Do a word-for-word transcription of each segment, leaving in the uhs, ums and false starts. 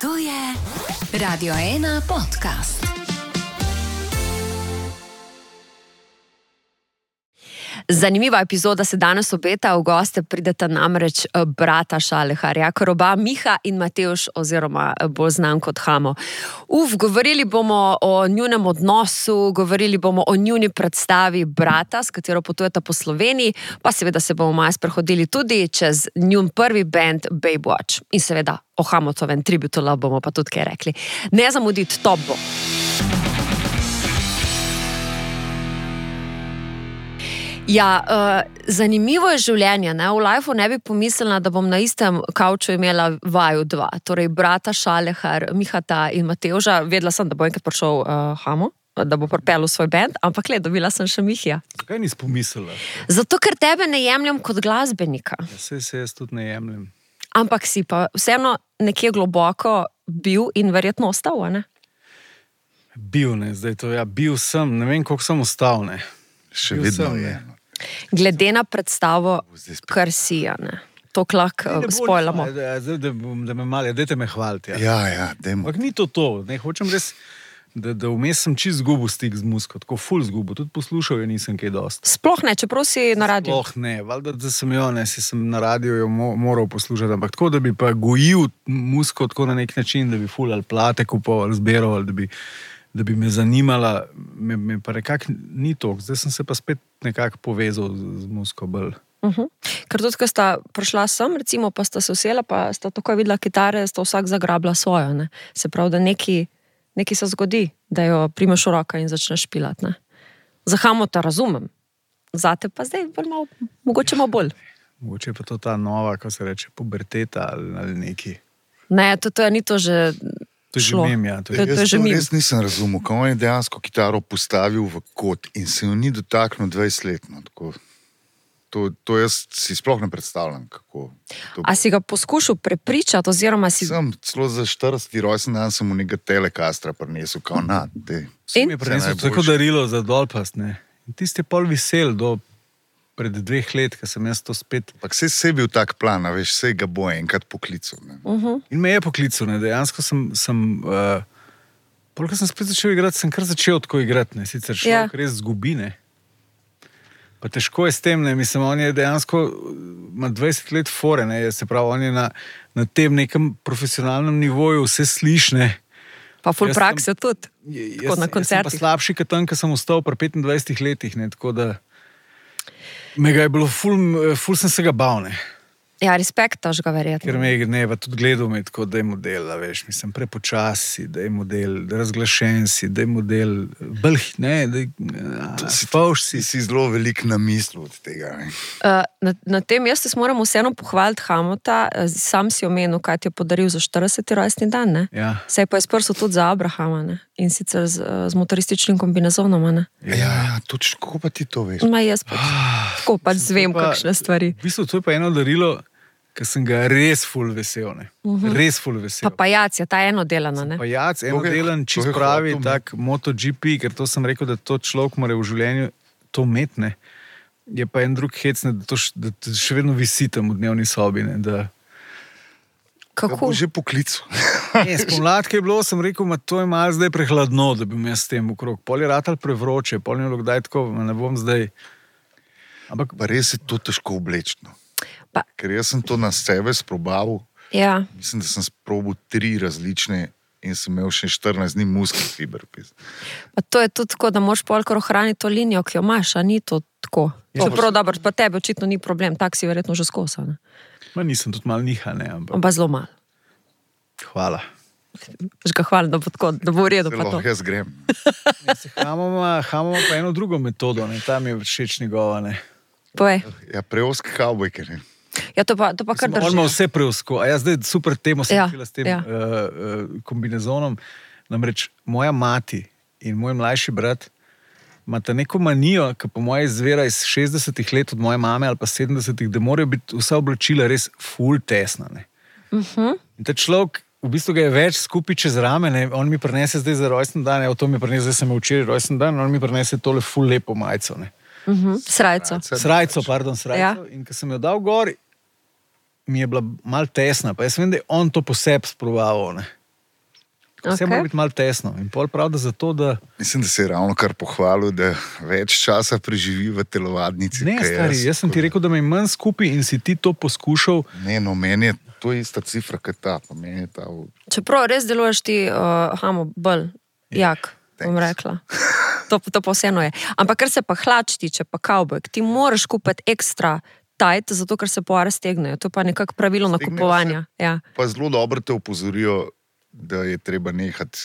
To je Radio ena podcast. Zanimiva epizoda se danes obeta, v goste prideta namreč brata Šaleharja, kar oba Miha in Matevž, oziroma bolj znan kot Hamo. Uf, govorili bomo o njunem odnosu, govorili bomo o njuni predstavi Brata, s katero potujeta po Sloveniji, pa seveda se bomo malo sprehodili tudi čez njun prvi band Babewatch. In seveda o Hamotovem Tribute to Love bomo pa tudi kaj rekli. Ne zamuditi, top bo. Ja, uh, zanimivo je življenje, ne? V lifeu ne bi pomislila, da bom na istem kavču imela vaju dva, torej brata Šalehar, Mihata in Matevža. Vedela sem, da bo enkrat prišel uh, Hamo, da bo pripeljal svoj band, ampak le, dobila sem še Mihija. Kaj nisi pomislila? Zato, ker tebe ne jemljem kot glasbenika. Ja, saj se jaz tudi ne jemljem. Ampak si pa vseeno nekje globoko bil in verjetno ostal, ne? Bil, ne, zdaj to, ja, bil sem, ne vem, koliko sem ostal, ne. Še Bil vedno sem, je. Glede na predstavo, kar si, ne. To lahko spojlamo. Zdaj, da, da me malo, dajte me hvaliti. Ja, Ja, ja, dajmo. ampak ni to to, ne, hočem res, da, da vmes sem čist zgubil stik z muziko, tako ful zgubil, tudi poslušal jo nisem kaj dosti. Sploh ne, čeprav si na radiju. Oh, ne, valjda, da sem jo, ne, si sem na radiju jo mo moral poslušati, ampak tako, da bi pa gojil muziko tako na nek način, da bi ful ali plate kupoval, zbiral, ali da bi da bi me zanimala, me, me pa nekako ni toliko. Zdaj sem se pa spet nekako povezal z, z muziko bolj. Uh -huh. Ker tudi, ko sta prišla sem, recimo, pa sta se usela, pa sta takoj videla kitare, sta vsak zagrabila svojo, ne. Se pravi, da neki, neki se zgodi, da jo primeš v roka in začneš špilati, ne. Za Hamota razumem, zate pa zdaj bolj malo, mogoče malo bolj. Mogoče pa to ta nova, ko se reče, puberteta ali, ali neki. Ne, to, to je ni to že To je že šlo. mem, ja. To To je- je, to Jaz že to mimo. res nisem razumel, ko on je dejansko kitaro postavil v kot in se jo ni dotaknil dvajset let. No, tako. To, to jaz si sploh ne predstavljam, kako to A si ga poskušal prepričati, oziroma si... Sem celo za štirideseti rojsten dan sem mu nekaj telekastra prinesel, kao na, te. In? mi je prinesel Vse tako najboljše. darilo za dolpast, ne. In tisti je pol vesel do pred dveh let, ko sem jaz to spet. Ampak vse je bil tak plan, a veš, vse ga bo enkrat poklical. Ne. Uh -huh. In me je poklical, ne. Dejansko sem, sem uh, pol, ko sem spet začel igrati, sem kar začel tako igrati, ne. Sicer človek Ja. ja. res zgubi, ne. Pa težko je s tem, ne, mislim, on je dejansko, ima dvajset let fore, ne, se pravi, on je na, na tem nekem profesionalnem nivoju, vse sliš, ne. Pa ful Jaz prakse tudi. J- Tako na Jaz, jaz sem pa koncertih. slabši, kot tam, ko sem ostal pri petindvajsetih letih, ne, tako da me ga je bilo, ful, ful sem se ga bal, ne. Ja, respektaš ga verjetno. Ker me je ne, pa tudi gledal me tako, da je model, a veš, mislim, prepočasi, da je model, da razglašen si, da je model, bolj, ne, da je, spavš si. Si si zelo velik namislil od tega. Ne. Uh, na, na tem jaz se moram vseeno pohvaliti Hamota, uh, sam si omenil, kaj ti je podaril za štirideseti rojstni dan, ne? Ja, Saj pa je sprso tudi za Abrahama, ne? In sicer z, uh, z motorističnim kombinezonom, ne? Ja, ja, točno, kako pa ti to veš? Ma jaz pač, tako pač zvem pa- kakšne stvari. v bistvu to je pa eno darilo, ker sem ga res ful vesel, ne. Uh -huh. Res ful vesel. Pa pajac je ta eno delana, ne? Pajac, eno To je- delen, to čist je pravi, hotel, ne. tak MotoGP, ker to sem rekel, da to človek mora v življenju to imeti, ne. Je pa en drug hec, ne, da to š, da to še vedno visi tam v dnevni sobi, ne, da... Ga Kako? bo že poklical. Ne, spomladi, ko je bilo, sem rekel, ma to je malo zdaj prehladno, da bi me s tem okrog. Pol je ratal prevroče, pol je bilo kdaj tako, ma ne bom zdaj... Ampak Pa res je to težko oblečno. Pa- Ker jaz sem to na sebe sprobaval, Ja, mislim, da sem sprobil tri različne in sem imel še štirinajst dni muskelfiber. pa to je tudi tako, da moraš polkar ohraniti to linijo, ki jo imaš, a ni to tako. Ja, Čeprav dobro, pa tebe očitno ni problem, tak si verjetno že skosa, ne? ma nisem tudi malo niha, ne, ampak Ampak zelo malo. hvala. Že ga hvalim, da bo tako, da bo v redu pa to. Lahko jaz grem. Ja, se Hamoma, Hamoma pa eno drugo metodo, ne, tam je všeč njegova, ne. Povej. Ja, preoski kavbojke, ne. Ja, to pa, to pa kar Mislim, on ima drži. vse preusko, a jaz zdaj super temo sem Ja, začela s tem ja. uh, uh, kombinezonom. Namreč moja mati in moj mlajši brat imata neko manijo, ki po moje izvira iz šestdesetih let od moje mame ali pa sedemdesetih, da morajo biti vsa oblačila res ful tesna, ne. Uh -huh. In ta človek, v bistvu ga je več skupaj čez rame, ne. On mi prinese zdaj za rojsten dan, evo to mi prinese, zdaj sem imel včeraj rojsten dan, on mi prinese tole ful lepo majico, ne. Uh -huh. Srajco. Srajco, pardon, srajco. Ja. In ko sem jo dal gor, mi je bila malo tesna, pa jaz vem, da je on to po sebi sprobaval, ne. Vse Okay. mora biti malo tesno. In pol prav, da zato, da... Mislim, da se je ravno kar pohvalil, da več časa preživi v telovadnici. Ne, kaj stari, jaz sem ti rekel, da me je manj skupaj in si ti to poskušal. Ne, no, meni je to ista cifra, kot ta. Pa meni je ta v... Čeprav res deluješ ti, uh, hamo, bolj jak, bom thanks. rekla. To, to pa vseeno je. Ampak kar se pa hlač tiče, pa kavbojk, ti moraš kupiti ekstra tajt, zato ker se poare stegnejo. To je pa nekako pravilo Stegnejo nakupovanja. Ja. Pa zelo dobro te opozorijo, da je treba nehati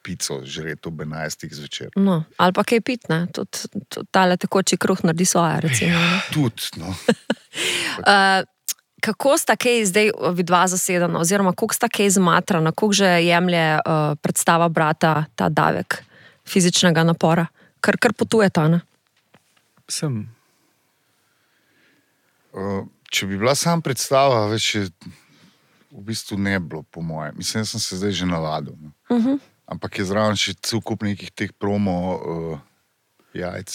pico žreti ob enajstih zvečer. No, ali pa kaj pit, ne? Tudi tud, tale tekoči kruh naredi svoje, recimo. Ne? Tudi, no. Uh, kako sta kaj zdaj vidva zasedena, oziroma koliko sta kaj zmatrana, koliko že jemlje uh, predstava brata ta davek fizičnega napora, kar, kar potuje ta, ne? Sem. Uh, če bi bila sam predstava, več je v bistvu ne bilo, po mojem. Mislim, da sem se zdaj že navadil. No. Uh-huh. Ampak je zraven še cel kup nekih teh promo uh, jajc,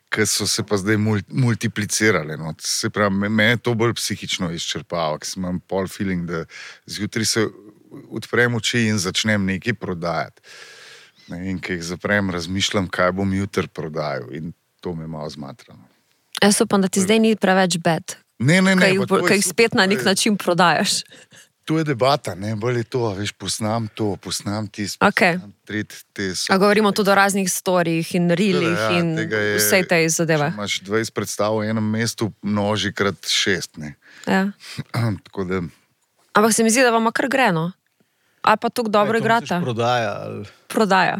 ki so se pa zdaj mul, multiplicirale. No. Se pravi, me, me je to bolj psihično izčrpalo, ker imam pol feeling, da zjutraj se odprem oči in začnem nekaj prodajati. Ne, in ko jih zaprem, razmišljam, kaj bom jutri prodajal. In to me malo zmatra. No. Jaz upam, da ti zdaj ni preveč bed, Ne, ne, ne. kaj jih spet na nek način prodajaš. To je debata, ne, bolj je to, veš, posnam to, posnam tisto, Okay. posnam tret, te so. A govorimo tudi o raznih storijih in rilih Ja, in tega je- vse te zadeve. Če imaš dvajset predstav v enem mestu, množi krat šest, ne. Ja. Tako da, Ampak se mi zdi, da vam kar gre, no? Ali pa tako dobro Kaj, to igrata? misliš Prodaja. Ali... Prodaja.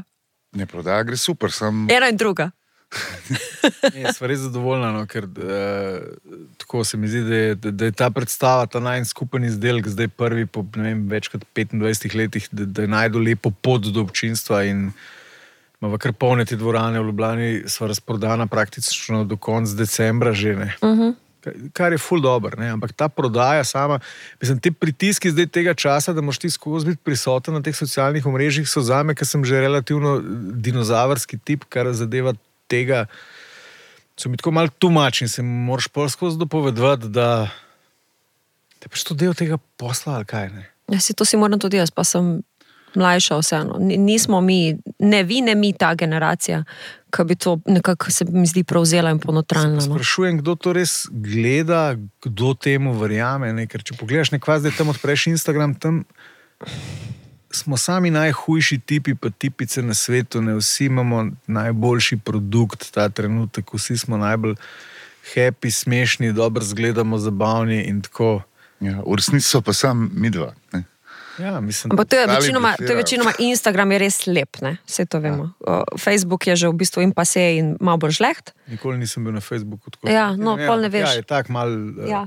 ne prodaja, gre super, sam Ena in druga. Ne, sva res zadovoljna, no, ker uh, tako se mi zdi, da je, da, da je ta predstava, ta najn skupen izdelek, zdaj prvi po ne vem, več kot petindvajsetih letih, da, da je najdu lepo pot do občinstva in imamo kar polne te dvorane v Ljubljani, sva razprodana praktično do konca decembra že, ne. Uh-huh. Kar je ful dober, ne, ampak ta prodaja sama, mislim, te pritiski zdaj tega časa, da moš ti skozi biti prisoten na teh socialnih omrežjih, so zame, ker sem že relativno dinozavrski tip, kar zadeva tega, so mi tako malo tumačni, se moraš pol skozi dopovedovati, da da je pač to del tega posla, ali kaj, ne. Ja, si to si moram tudi jaz, pa sem mlajša vseeno. Ni- Nismo mi, ne vi, ne mi ta generacija, ki bi to nekako se mi zdi prevzela in ponotralna. No. Sprašujem, kdo to res gleda, kdo temu verjame, ne? Ker če pogledaš nekva zdaj tam odpreš Instagram, tam smo sami najhujši tipi pa tipice na svetu, ne, vsi imamo najboljši produkt ta trenutek, vsi smo najbolj happy, smešni, dobro zgledamo, zabavni in tako. ja, v resnici so pa sam midva, ne. Ja, mislim, Ampak to je, Ostali večinoma, to je blefirajo. večinoma Instagram je res lep, ne? Vse to vemo. Ja. Facebook je že v bistvu in pa se in malo bolj žleht. nikoli nisem bil na Facebooku. Tako, Ja, no, pol ne ampak veš. Ja, je tak mal, Ja. ja.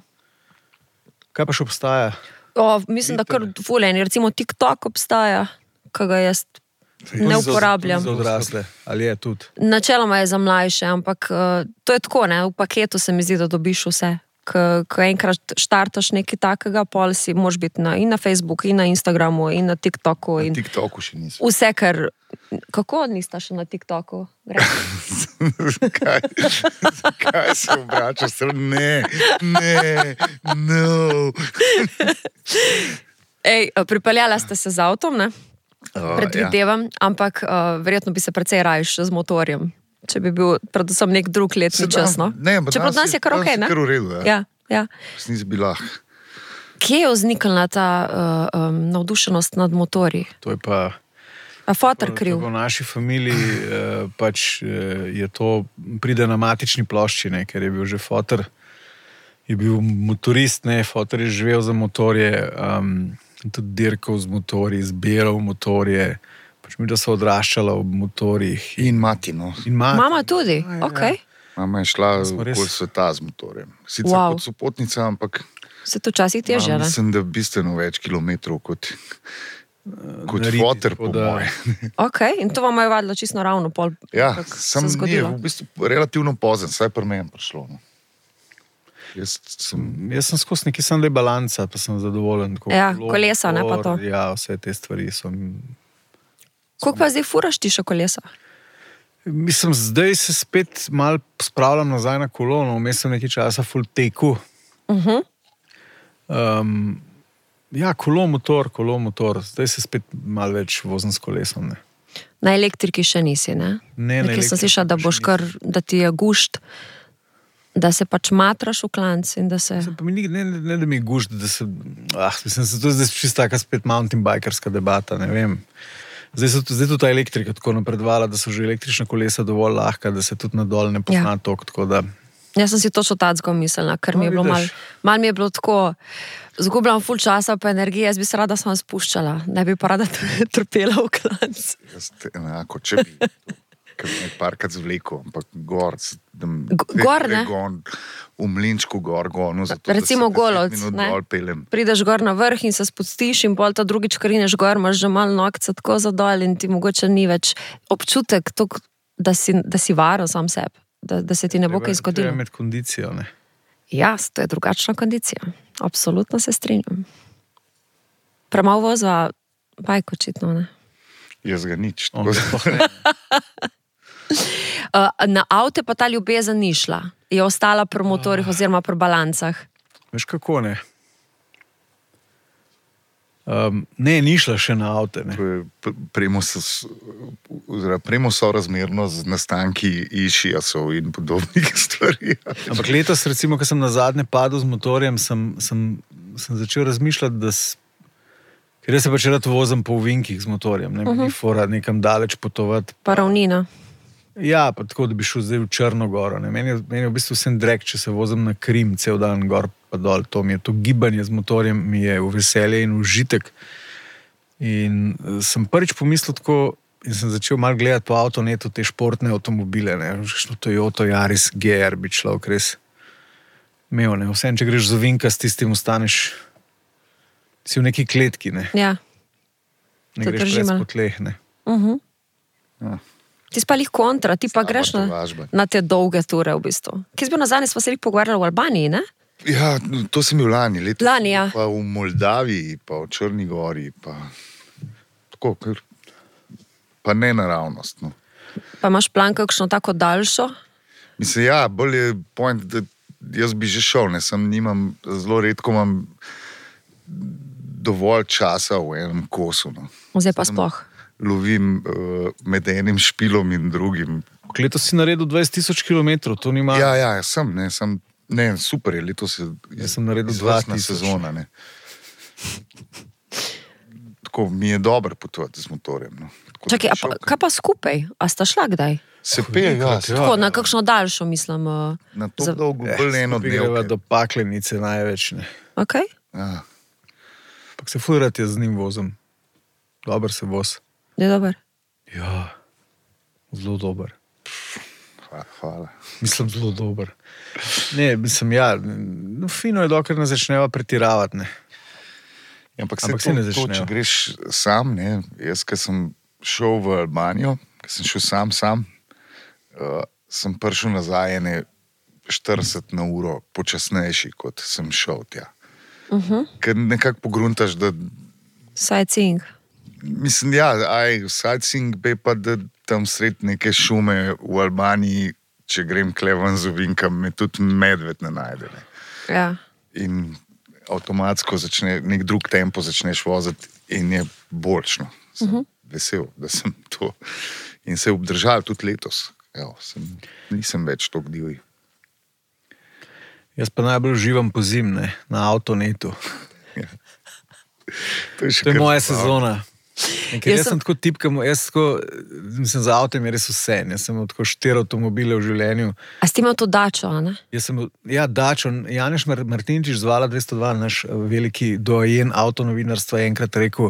Kaj pa še obstaja? O, mislim, da kar fuleni. Recimo TikTok obstaja, ki ga jaz ne uporabljam. Za odrasle, ali je tudi? Načeloma je za mlajše, ampak uh, to je tako, ne? V paketu se mi zdi, da dobiš vse. Ko enkrat štartaš nekaj takega, pol si moraš biti na, in na Facebooku, in na Instagramu, in na TikToku. In Na TikToku še nisem. vse, kar... Kako nista še na TikToku? Gre. Zakaj? Zakaj se obračaš? Ne, ne, no. Ej, pripeljala ste se z avtom, ne? O, Predvidevam, ampak uh, verjetno bi se precej rajš z motorjem, če bi bil predvsem nek drug letni Se čas. No? da- ne, ampak Čeprav danes je kar danes okej, je ne? kar v redu, ja. Ja, ja. Resnici bi lahko. Kje je vzniknila ta uh, um, navdušenost nad motorji? To je pa... A fotor kriv? V naši familiji eh, pač eh, je to, pride na matični plošči, ne, ker je bil že fotor, je bil motorist, ne, fotor je živel za motorje, um, tudi dirkal z motorji, zbiral motorje, pač mi da so odraščala ob motorjih. In mati, no. In mati. Mama tudi? Ja, ja. Ok. Mama je šla smo res- okoli sveta z motorjem. Sicer Wow. wow. kot sopotnica, ampak Se to včasih teže, ima, ne? mislim, da bistveno več kilometrov kot, kot nariti, foter, tako po da- moje. Ok, in to vam je vadilo čisto ravno pol, Ja, kako sem se ni, zgodilo. v bistvu relativno pozen, saj pri meni prišlo. No. Jaz sem, Jaz sem skozi neki sam le balanca, pa sem zadovoljen. Tako, Ja, kolo, kolesa, ne, pa to. motor, Ja, vse te stvari so... Koliko pa zdaj furaš ti še kolesa? Mislim, zdaj se spet malo spravljam nazaj na kolono, vmes sem nekaj časa full teku. Uh -huh. Um, Ja, kolo motor, kolo motor. Zdaj se spet malo več vozim s kolesom. Ne? Na elektriki še nisi, ne? Ne, na Nekaj sem elektriki slišala, da še boš kar, da ti je gušt, da se pač matraš v klanc in da se... Se pa mi ni, ne, ne, ne da mi je gušt, da se... Ah, mislim, se to je zdaj čisto taka spet mountain bikerska debata, ne vem. Zdaj so zdaj tudi ta elektrika tako napredvala, da so že električna kolesa dovolj lahka, da se tudi nadol ne pozna ja. tok, tako da... Jaz sem si točno tacko mislila, ker no, mi je bilo malo mal mi je bilo tako, zgubljam ful časa pa energije, jaz bi se rada sama spuščala, ne bi pa rada trpela v klanc. Jaz te enako, če bi, ker bi parkrat zvlekel, ampak gor, da gor, ne? Gon, v Mlinčku gor, gonu, zato recimo Golovc, ne? Prideš gor na vrh in se spustiš in pol ta drugič krineš gor, imaš že malo nokca tako zadol in ti mogoče ni več občutek, tok, da, si, da si varo sam sebi. Da, da se ti ne bo kaj zgodilo. Treba imeti kondicijo, ne? Ja, to je drugačna kondicija. Absolutno se strinjam. Premalo voza, bajk očitno, ne? Jaz ga nič. Na avte pa ta ljubezen ni šla. Je ostala pri motorjih oziroma pri balancah. Veš kako ne? Um, ne, ni šla še na avte. Premo so razmerno z nastanki išijasov in podobnih stvari. Ampak letos, recimo, ko sem na zadnje padel z motorjem, sem, sem, sem začel razmišljati, da s... ker jaz se pač rad vozim po ovinkih z motorjem, ne, uh-huh. Ni fora nekam daleč potovati. Pa ravnina. Ja, pa tako, da bi šel zdaj v Črnogoro. Ne. Meni, je, meni je v bistvu vsem drek, če se vozim na Krim cel dan gor pa dol. To, mi je, to gibanje z motorjem mi je v veselje in užitek. In sem prvič pomislil tako in sem začel malo gledati po avtonetu te športne avtomobile. Što Toyota Yaris G R bi človek res imel. Ne. Vsem, če greš z ovinka, s tistim ostaneš si v neki kletki. Ne, ja. ne greš pres po tleh. Ne. Uh-huh. Ja. Ti si pa lih kontra, ti pa greš na, na te dolge ture v bistvu. Kje si bil nazadnje, smo se lih pogovarjali v Albaniji, ne? Ja, to sem bil lani. Leto lani, ja. Pa v Moldaviji, pa v Črni Gori, pa tako, ker pa ne naravnost. No. Pa imaš plan kakšno tako daljšo? Mislim, ja, bolj je point, da jaz bi že šel, ne, sem nimam, zelo redko imam dovolj časa v enem kosu. No. Zdaj pa sploh. Lovim uh, med enim špilom in drugim. Letos si naredil dvajset tisoč kilometrov, to nima... Ja, ja, sem, ne, sem, ne, super je, letos je jaz sem naredil dva tisoč sezona, ne. Tako, mi je dobro potovati z motorjem, no. Tako, čakaj, a pa, kaj pa skupaj? A sta šla kdaj? Se pel, ja. Tako, na kakšno daljšo, mislim. Uh, na to za... dolgo, bolj eno dnevke. Do Paklenice največ, ne. Ok. Ja. Pak se fujrat jaz z njim vozim. Dobar se voz. Je dober? Ja, zelo dober. Hvala. Mislim, zelo dober. Ne, mislim, ja, no, fino je, dokler ne začneva pretiravati, ne. Ja, ampak se ampak to, ne to, če greš sam, ne, jaz, ko sem šel v Albanijo, ko sem šel sam, sam, uh, sem prišel nazaj ene štirideset na uro počasnejši, kot sem šel tja. Uh-huh. Ker nekako pogruntaš, da... Sightseeing. Mislim, ja, aj, sightseeing be pa, da tam sred neke šume v Albaniji, če grem klevan z ovinkam, me tudi medved ne najde. Ne. Ja. In avtomatsko začne, nek drug tempo začneš voziti in je boljšno. Sem uh-huh. vesel, da sem to. In se je obdržal tudi letos. Evo, sem, nisem več toliko divji. Jaz pa najbolj uživam po zim, ne, na avtonetu. Ja. To je, to je moja sezona. In ker jaz, jaz sem tako tipkam, jaz tako, mislim, za avtem je res vse. Jaz sem imel tako štiri avtomobile v življenju. A si imel to Dačo, a ne? Jaz sem, ja, Dačo. Janeš Martinčič z Vala dvesto dva, naš veliki doajen avtonovinarstva, je enkrat rekel,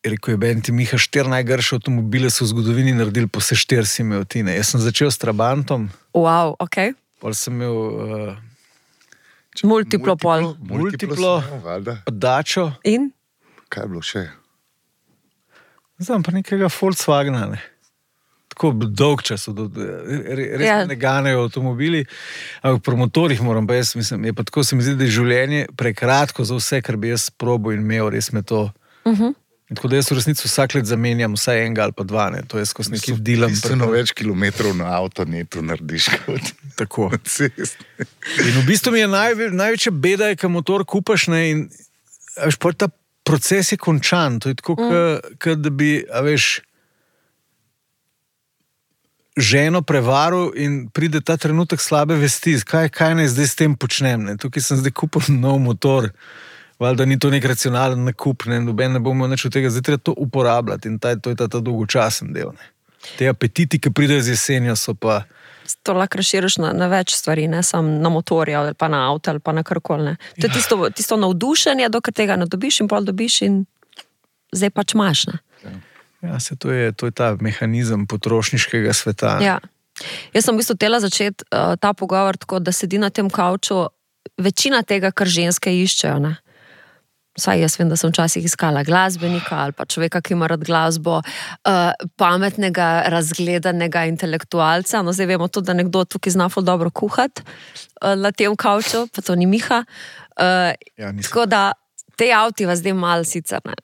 rekel je, Ben, ti Miha, štiri najgrše avtomobile so v zgodovini naredili, po vse štiri si imel ti, ne. Jaz sem začel s Trabantom. Wow, ok. Pol sem imel... Uh, multiplo pol. Multiplo, multiplo Dačo. In? Kaj je bilo še? Znam pa nekega Volkswagena, ne. Tako dolg čas, res ja. Ne ganejo avtomobili, ampak pri motorjih moram pa jaz, mislim, je pa tako, se mi zdi, da je življenje prekratko za vse, kar bi jaz probil in imel, res me to... Uh-huh. Tako da jaz v resnici vsak let zamenjam vsaj enega ali pa dva, ne. To je skozi neki dilam. Bistveno več kilometrov na avtonetu narediš kot tako. Na cesti. In v bistvu mi je najve, največja beda, je, ko motor kupaš, ne, in a veš, ta proces je končan. To je tako, mm. kot da bi, a veš, ženo prevaril in pride ta trenutek slabe vesti. Kaj, kaj naj zdaj s tem počnem? Ne? Tukaj sem zdaj kupil nov motor. Valjda ni to nek racionalen nakup, ne, noben ne bomo nič od tega, zdaj treba to uporabljati in taj, to je ta, ta dolgočasen del. Ne. Te apetiti, ki pridejo z jesenjo, so pa... To lahko razširiš na, na več stvari, ne samo na motorja ali pa na avto ali pa na karkoli. To je ja. tisto, tisto navdušenje, dokaj tega ne dobiš in pol dobiš in zdaj pač imaš. Ne. Ja, se to je, to je ta mehanizem potrošniškega sveta. Ja. Jaz sem v bistvu tela začeti uh, ta pogovor tako, da sedi na tem kavču večina tega, kar ženske iščejo, ne. Vsaj jaz vem, da sem včasih iskala glasbenika ali pa človeka, ki ima rad glasbo, uh, pametnega, razgledanega intelektualca. No, zdaj vemo tudi, da nekdo tukaj zna ful dobro kuhati uh, na tem kavču, pa to ni Miha. Uh, ja, tako da te avti vas zdaj malo sicer, ne,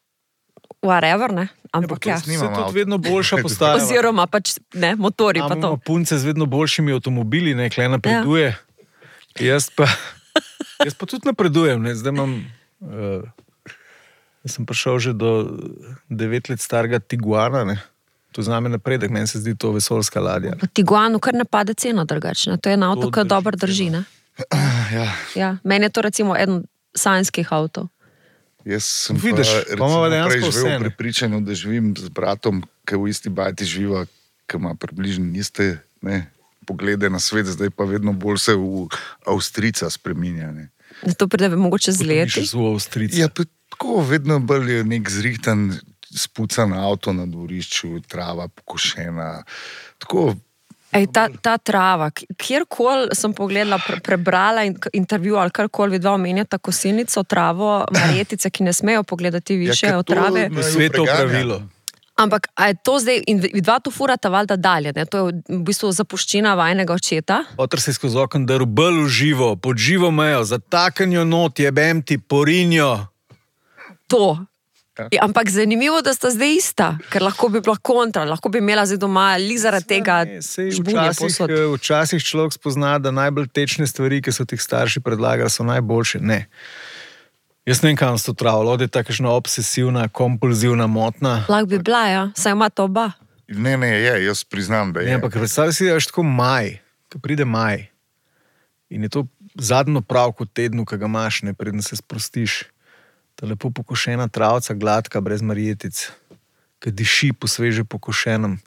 whatever, ne, ampak ja. Se tudi vedno boljša postaja. Oziroma pač, ne, motori pa to. Imamo punce z vedno boljšimi avtomobili, ne, kle napreduje. Ja. Jaz pa, jaz pa tudi napredujem, ne, zdaj imam... Uh, jaz sem prišel že do devet let starega Tiguana, ne. To zname napredek, meni se zdi to vesoljska ladja. V Tiguanu kar ne pade cena drugačna, to je en avto, ki dobro drži, ne. Ja. Ja, meni je to recimo eden sanjskih avtov. Jaz sem Vidiš, pa recimo prej živel v prepričanju, da živim z bratom, ki v isti bajti živa, ki ima približno iste, ne, poglede na svet, zdaj pa vedno bolj se v Avstrica spreminja, ne. To pride mogoče z leti. Ja, tako vedno bolj je nek zrihtan, spucan avto na dvorišču, trava pokošena. Tako... Ej, ta, ta trava, kjerkoli sem pogledala, pre, prebrala in, intervju ali karkoli vidva omenjata kosilnico, travo, marjetice, ki ne smejo pogledati više ja, od trave. Na svetu pravilo. Ampak, a je to zdaj, in vidva to furata valjda dalje, ne? To je v bistvu zapuščina vajnega očeta. Oter se je skozi okon drl bolj v živo, pod živo mejo, zatakanjo not, jebem ti, porinjo. To. Ja, ampak zanimivo, da sta zdaj ista, ker lahko bi bila kontra, lahko bi imela zdaj doma li zaradi tega žbunja posod. Včasih človek spozna, da najbolj tečne stvari, ki so tih starši predlagali, so najboljše. Ne. Jaz ne vem, kam so to travo, da je takšna obsesivna, kompulzivna motna. Lahko bi bila, ja, saj ima to oba. Ne, ne, je, jaz priznam, da je. Ne, ampak predstavljaj si, da je tako maj, ko pride maj in je to zadnjo pravko tednu, ki ga imaš, ne, preden se sprostiš. Ta lepo pokošena travca, gladka, brez marjetic, ki diši po sveže pokošenem.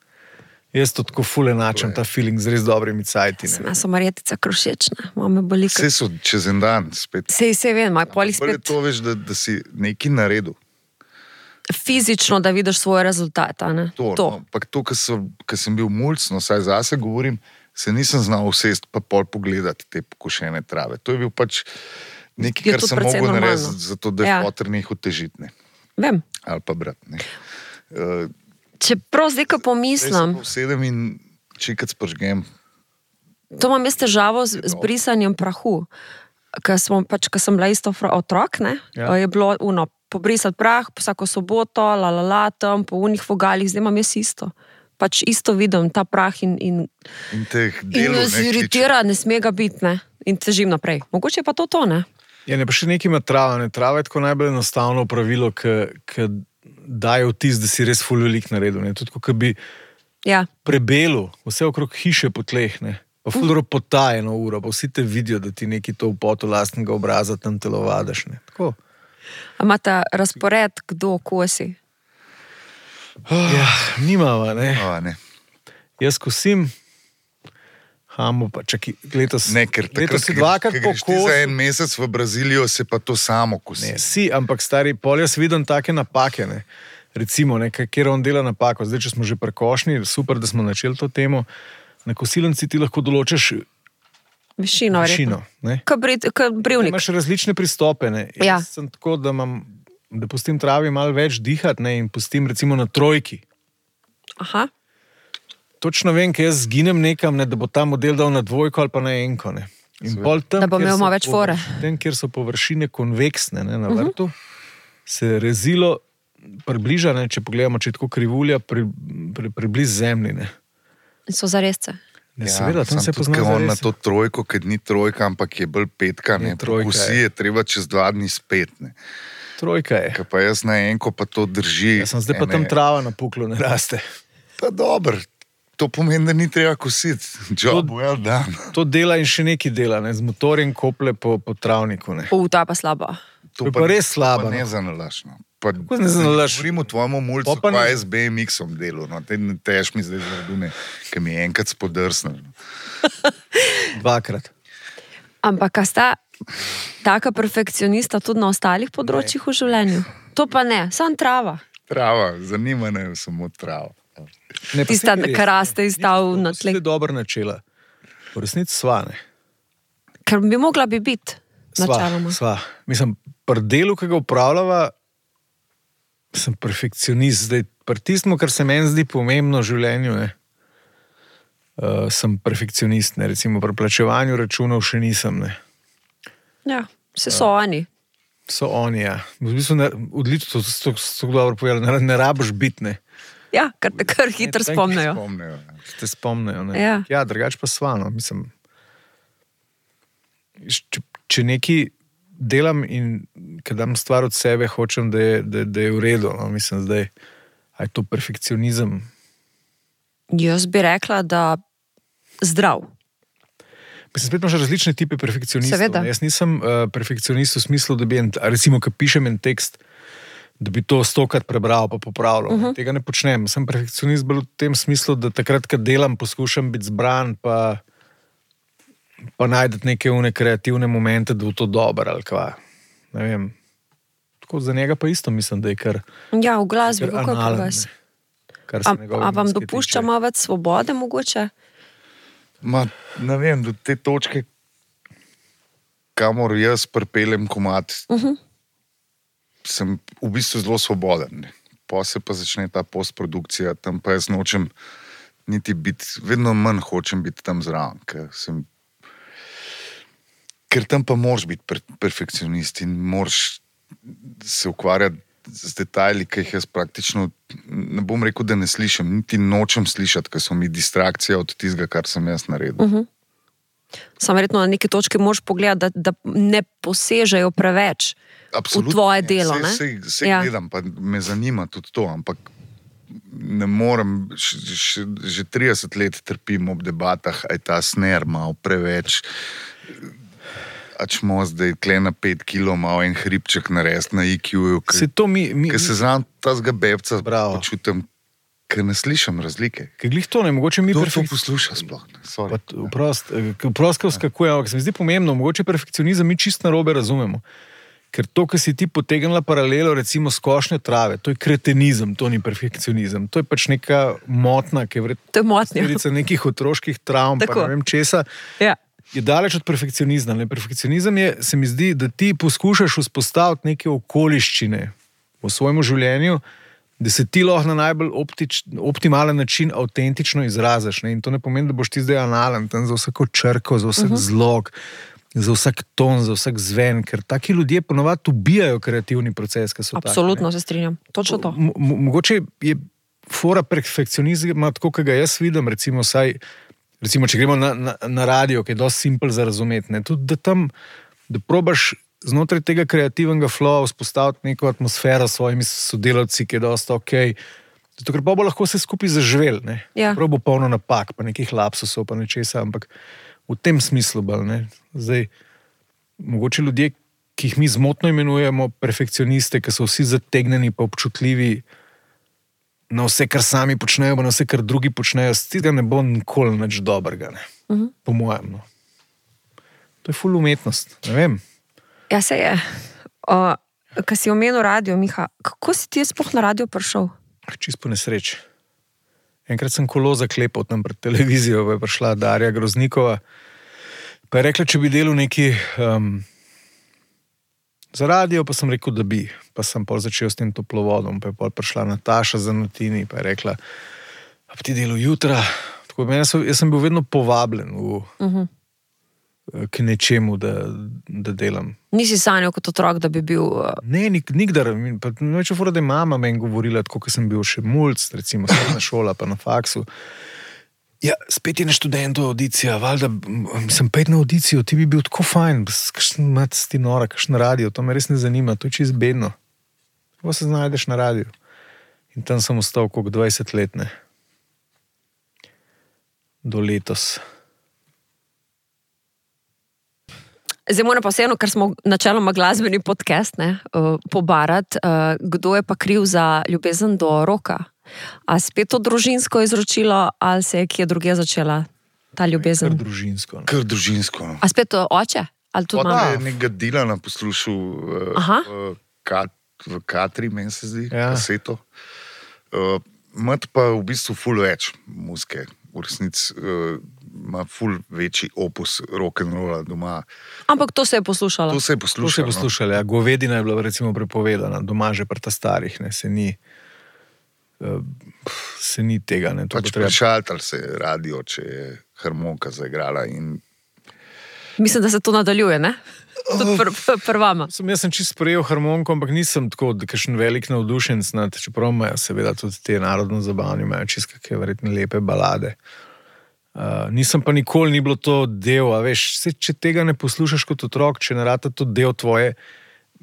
Jaz to tako ful enačam, ta feeling z res dobrimi cajti. Sma so marjetica krušečna, mame boli. Vse so čez en dan spet. Sej, sej vem, maj polih spet. Bolje to veš, da, da si nekaj naredil. Fizično, da vidiš svoj rezultat, a ne? To, to. No, pa to, ko sem bil mulc, no, saj zase govorim, se nisem znal usest pa pol pogledati te pokošene trave. To je bil pač nekaj, kar sem mogel narediti, zato da je ja. Poter nehal težiti, ne. Vem. Ali pa brat, ne. Uh, Čeprav zdaj, ko pomislim... Zdaj sedem in čikac pržgem. To imam jaz težavo z, z brisanjem prahu. Ker pač, sem bila isto otrok, ne? Ja. Je bilo uno, pobrisati prah, vsako soboto, la la la, tam, po unih vogalih, zdaj imam jaz isto. Pač isto vidim, ta prah in... In, in teh delov, ne? In se iritira, ne sme ga biti, ne? In težim naprej. Mogoče je pa to to, ne? Ja, ne pa še nekaj ima trava, ne? Trava je tako najbolj enostavno pravilo, ki daje vtis, da si res ful velik naredil. Ne? Tudi, ko bi ja. Prebelo, vse okrog hiše po tleh, ne? Pa ful dobro potaje eno uro, pa vsi te vidijo, da ti neki to v potu lastnega obraza tam telovadaš. Ne? Tako. A imate razpored, kdo kosi? Ja, nimava, ne? O, ne. Jaz kosim, hamo pa, čaki, letos... Ne, ker takrat, ker greš ti za en mesec v Brazilijo, se pa to samo kosi. Ne, si, ampak stari, pol jaz vidim take napake, ne. Recimo, ne, kjer on dela napako. Zdaj, če smo že prekošni, super, da smo načeli to temo, na kosilnici ti lahko določiš višino, višino ne. Ka brivnik. Imaš različne pristope, ne. Ja. Jaz sem tako, da imam, da pustim travi malo več dihati, ne, in pustim recimo na trojki. Aha. Točno vem, ker jaz zginem nekam, ne, da bo ta model dal na dvojko ali pa na enko. Ne. In pol tam, da bo imel malo več fore. Tam, kjer so površine konveksne, ne, na vrtu, uh-huh. se rezilo približa, ne, če pogledamo, če je tako krivulja, pri, pri, približ zemlji. Ne. So zaresce. Ne, ja, seveda, tam se pozna zaresce. On zaresce. na to trojko, ker ni trojka, ampak je bolj petka, ne, trojka, pokusi je treba čez dva dni spet. Ne. Trojka je. Kaj pa jaz na enko pa to drži. Ja sem zdaj pa tam trava na puklu ne raste. Pa dobro, to pomeni, da ni treba kositi. Job To- well done. To dela in še neki dela, ne? Z motorjem kople po, po travniku. Ne? U, ta pa slaba. To je pa res slabo, Pa ne no. zanalaš. No. Pa, Kako ne zanalaš? Govorim o tvojemu mulcu, Pa pa ne- pa je z B M X-om delu. No. Te ne tež mi zdaj zaradune, ki mi je enkrat spodrsnil. No. Dvakrat. Ampak a sta taka perfekcionista tudi na ostalih področjih v življenju? To pa ne, sam trava. Trava, zanima me samo trava. Ne, pa Tista, saj ni res, ki raste ne. iz stav Ni na to, to si tleh. zdaj dobro načela. V resnici sva, ne. Ker bi mogla bi biti, Sva, načeloma. sva. Mislim, pri delu, ki ga upravljava, sem perfekcionist. Zdaj, pri tistem, kar se meni zdi pomembno v življenju, ne, uh, sem perfekcionist. Ne. Recimo pri plačevanju računov še nisem. Ne. Ja, vse so oni. So oni, ja. V bistvu ne, odlično, to so tako dobro povedali, ne, ne rabiš biti, ne. Ja, ker te kar hitro Ne, spomnijo. Spomnejo. Te spomnejo, ne. Ja. Ja, drugače pa sva, no, mislim. Če, če nekaj delam in kad dam stvar od sebe, hočem, da je, da, da je v redu, no, mislim zdaj, a je to perfekcionizem. Jaz bi rekla, da zdrav. Mislim, spet imaš različne tipe perfekcionistov. Seveda. ne. Jaz nisem uh, perfekcionist v smislu, da bi, en, recimo, ko pišem en tekst, da bi to stokrat prebral pa popravljal. Uh -huh. Tega ne počnem. Sem perfekcionist bolj v tem smislu, da takrat, ko delam, poskušam biti zbran, pa, pa najdete neke une kreativne momente, da bo to dobro ali kva. Ne vem. Tako za njega pa isto mislim, da je kar, Ja, v glasbi, kar kako pri analen, vas. ne, kar se A, njegove a vam muzike dopušča tiče. malo več svobode mogoče? Ma, ne vem, do te točke, kamor jaz pripeljem komat, uh -huh. sem v bistvu zelo svoboden. Ne. Pa se pa začne ta postprodukcija, tam pa jaz nočem niti biti, vedno manj hočem biti tam zraven, ker sem. Ker tam pa moraš biti per, perfekcionist in moraš se ukvarjati z detajli, ki jih jaz praktično ne bom rekel, da ne slišim, niti nočem slišati, ker so mi distrakcija od tistega, kar sem jaz naredil. Uh -huh. Sam verjetno na neki točki moraš pogledati, da, da ne posežejo preveč v tvoje delo. Ne? Sej, sej Ja. ja. gledam, pa me zanima tudi to, ampak ne morem, š, š, že trideset let trpim ob debatah, aj ta sner malo preveč. Ačmo zdaj tle na pet kilo malo en hribček narediti na I Q-ju, Se to mi, mi, ker se znam ta zga bebca Bravo. počutim, ker ne slišim razlike. ker glih to ne, mogoče mi Kdo to perfekcionizem. posluša sploh? Ne? Sorry. Vprost, vskakuje, ampak se mi zdi pomembno, mogoče perfekcionizem mi čist narobe razumemo. Ker to, kar si ti potegnila paralelo, recimo skošnje trave, to je kretenizem, to ni perfekcionizem. To je pač neka motna, ki je verjetno To je motnja. posledica nekih otroških travm, pa Tako. ne vem česa. Ja. Je daleč od perfekcionizma. Ne? Perfekcionizem je, se mi zdi, da ti poskušaš vzpostaviti neke okoliščine v svojem življenju, da se ti lahko na najbolj optič, optimalen način avtentično izraziš. Ne? In to ne pomeni, da boš ti zdaj analen tam za vsako črko, za vsak uh -huh. zlog, za vsak ton, za vsak zven, ker taki ljudje ponovadi ubijajo kreativni proces, ki so taki, Absolutno se strinjam. Točno to. Mo- mo- Mogoče je fora perfekcionizma, tako kot ga jaz vidim, recimo, saj, recimo če gremo na, na, na radio, ki je dosti simpel za razumeti, ne, tudi da tam, da probaš znotraj tega kreativnega flowa vzpostaviti neko atmosfero s svojimi sodelavci, ki je dosta ok, zato ker pa bo lahko vse skupaj zaživel, ne. Ja. Prav bo polno napak, pa nekih lapsusov, pa nečesa, ampak v tem smislu bolj, ne. Zdaj, mogoče ljudje, ki jih mi zmotno imenujemo perfekcioniste, ki so vsi zategnjeni pa občutljivi na vse, kar sami počnejo, pa na vse, kar drugi počnejo, z tega ne bo nikoli nič dobrega, ne. Uh -huh. Po mojem. No. To je ful umetnost, ne vem. Ja, se je. Uh, Kaj si omenil radio, Miha, kako si ti sploh na radio prišel? Čist po nesreči. Enkrat sem kolo zaklepal tam pred televizijo, pa je prišla Darja Groznikova, pa je rekla, če bi delal neki um, za radio, pa sem rekel, da bi. Pa sem pol začel s tem toplovodom, pa je pol prišla Nataša Zanotini, pa je rekla, a bi ti delal jutra? Tako, jaz, sem, jaz sem bil vedno povabljen v, uh -huh. k nečemu, da, da delam. Nisi sanjal kot otrok, da bi bil... Uh, Ne, nik, nikdar. Pa neč je fora, da je mama meni govorila, tako, ko sem bil še mulc, recimo srednja šola, pa na faksu. Ja, spet je na študentu audicija, valjda, sem pet na audicijo, ti bi bil tako fajn, kakšen mat ti nora, kakšen radio, to me res ne zanima, to je čist bedno. pa se znajdeš na radiju. In tam sem ostal koliko dvajset let, ne. Do letos. Zdaj moram pa vseeno, ker smo načeloma glasbeni podcast, ne, uh, pobarati, uh, kdo je pa kriv za ljubezen do roka? A spet to družinsko izročilo, ali se je kje druge začela ta ljubezen? Kar družinsko. Ne. Kar družinsko. A spet to oče? Ali tudi mama? Oče je nekega Dilana poslušal uh, v, kat, v Katri, meni se zdi, ja. Kaseto. Uh, mat pa v bistvu ful več muzike. V resnici uh, ima ful večji opus rock'n'rolla doma. Ampak to se je poslušalo. To se je poslušalo. To se je poslušalo, ja. Govedina je bila recimo prepovedana, doma že pri ta starih, ne, se ni, uh, se ni tega, ne. To pač treba... prešaltal se je radio, če je harmonika zaigrala in... Mislim, da se to nadaljuje, ne? Tudi pr, pr, pr vama. Sem, jaz sem čisto sprejel harmoniko, ampak nisem tako, kakšen velik navdušenc nad, čeprav imajo seveda tudi te narodno zabavni, imajo čisto kakšne verjetne lepe balade. Uh, nisem pa nikoli ni bilo to del, a veš, se, če tega ne poslušaš kot otrok, če ne rata to del tvoje,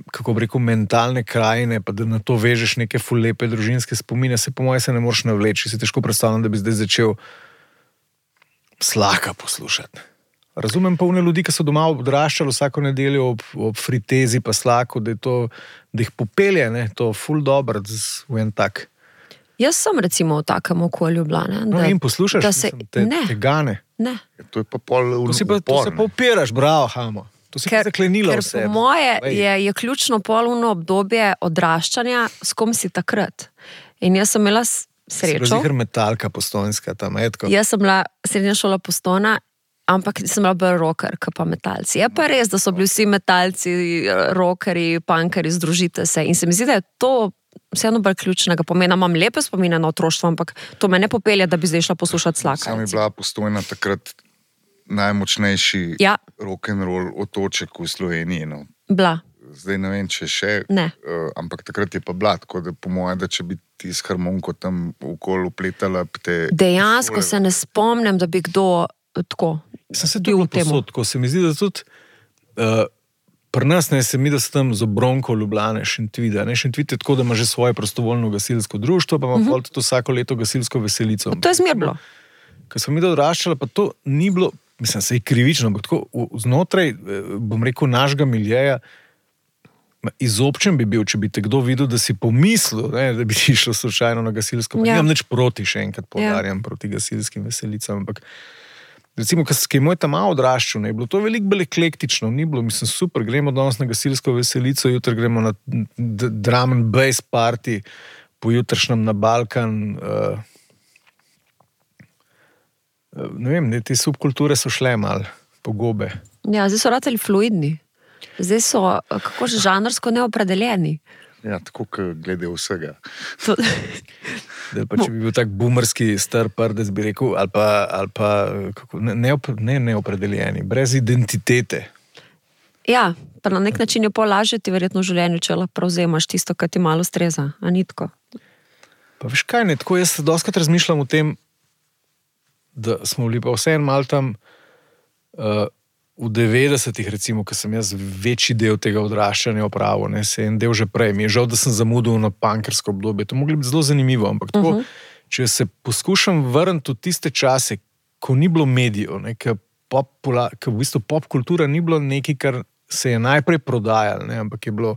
kako bi rekel, mentalne krajine, pa da na to vežeš neke ful lepe družinske spomine, se po moje se ne moreš navleči, si težko predstavljam, da bi zdaj začel Slaka poslušati. Razumem pa une ljudi, ki so doma odraščali vsako nedeljo ob, ob fritezi pa Slaku, da, je to, da jih popelje, ne, to ful dobro v en tak. Jaz sem recimo v takem okolju bila, ne. No, Da, in poslušaš, da se, te, ne, te gane. ne. To je pa pol To, si pa, to upor, se ne. pa upiraš, bravo, Hamo. To si Ker, pa zaklenila ker vse. po moje je, je ključno polno obdobje odraščanja, s kom si takrat. In jaz sem imela s- srečo. Si bila metalka postojnska tam, etko. Jaz sem bila srednja šola Postojna, ampak sem bila bolj rocker, kot pa metalci. Je pa res, da so bili vsi metalci, rockerji, punkeri, združite se. In se mi zdi, da je to vseeno bolj ključnega pomena. Imam lepe spomine na otroštvo, ampak to me ne popelje, da bi zdaj šla poslušati Slaka. Sam je bila Postojna takrat najmočnejši Ja. rock'n'roll otoček v Sloveniji. No. Bila. Zdaj ne vem, če še, Ne. uh, ampak takrat je pa bila, tako da po moje, da če bi ti s harmoniko tam okoli upletala, bi te... Dejansko se ne spomnim, da bi kdo tako Sem se bil tudi v temu. posod, tako se mi zdi, da tudi uh, pri nas, ne, se mi, da so tam z Obronko Ljubljane, Šentvida. Ne, Šentvid je tako, da ima že svoje prostovoljno gasilsko društvo, pa ima uh -huh. tudi vsako leto gasilsko veselico. To je zmer bilo. Ko sem mi odraščala, pa to ni bilo, mislim, se je krivično, ampak tako v- znotraj, eh, bom rekel, našega miljeja, ma, izobčen bi bil, če bi te kdo videl, da si pomislil, ne, da bi ti šlo slučajno na gasilsko. Pa Ja. nimam nič proti, še enkrat poudarjam, proti gasilskim veselicam, ampak recimo, ko je moj tam malo odraščal, ne, je bilo to veliko bolj eklektično, ni bilo, mislim, super, gremo danes na gasilsko veselico, jutri gremo na d- drum and bass party, pojutrišnjem na Balkan. Uh, ne vem, ne, te subkulture so šle malo po gobe. Ja, zdaj so ratali fluidni. Zdaj so, kako že, žanrsko neopredeljeni. Ja, tako, kot glede vsega. To, Da, pa, če bi bil tak boomerski star prdec, bi rekel, ali pa, ali pa kako, ne, ne, ne neopredeljeni, brez identitete. ja, pa na nek način je pol lažje ti verjetno v življenju, če lahko prevzemaš tisto, kar ti malo streza, a ni tako? Pa veš kaj, ne, tako jaz doskrat razmišljam o tem, da smo bili pa vseeno malo tam uh, v devetdesetih, recimo, ko sem jaz večji del tega odraščanja opravil, ne, se en del že prej. Mi je žal, da sem zamudil na punkersko obdobje. To mogli biti zelo zanimivo, ampak tako, uh -huh. če se poskušam vrniti v tiste čase, ko ni bilo medijev, ne, ko popula, ko v bistvu popkultura ni bilo nekaj, kar se je najprej prodajalo, ne, ampak je bilo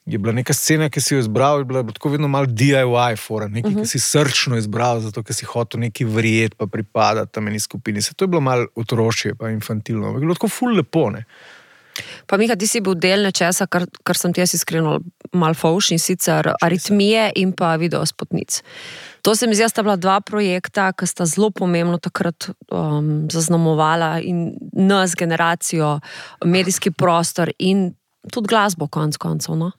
je bila neka scena, ki si jo izbral, je bila tako vedno malo D I Y fora, nekaj, uh -huh. ki si srčno izbral, zato ker si hotel neki verjeti, pa pripadati tam eni skupini. Se to je bilo malo otrošje, pa infantilno, ampak je bilo tako ful lepo, ne. Pa Miha, ti si bil del nečesa, kar, kar sem ti jaz iskreno mal fauš, in sicer aritmije in pa videospotnic. To se mi zdi, da sta bila dva projekta, ki sta zelo pomembno takrat um, zaznamovala in nas, generacijo, medijski prostor in tudi glasbo konc koncev, no?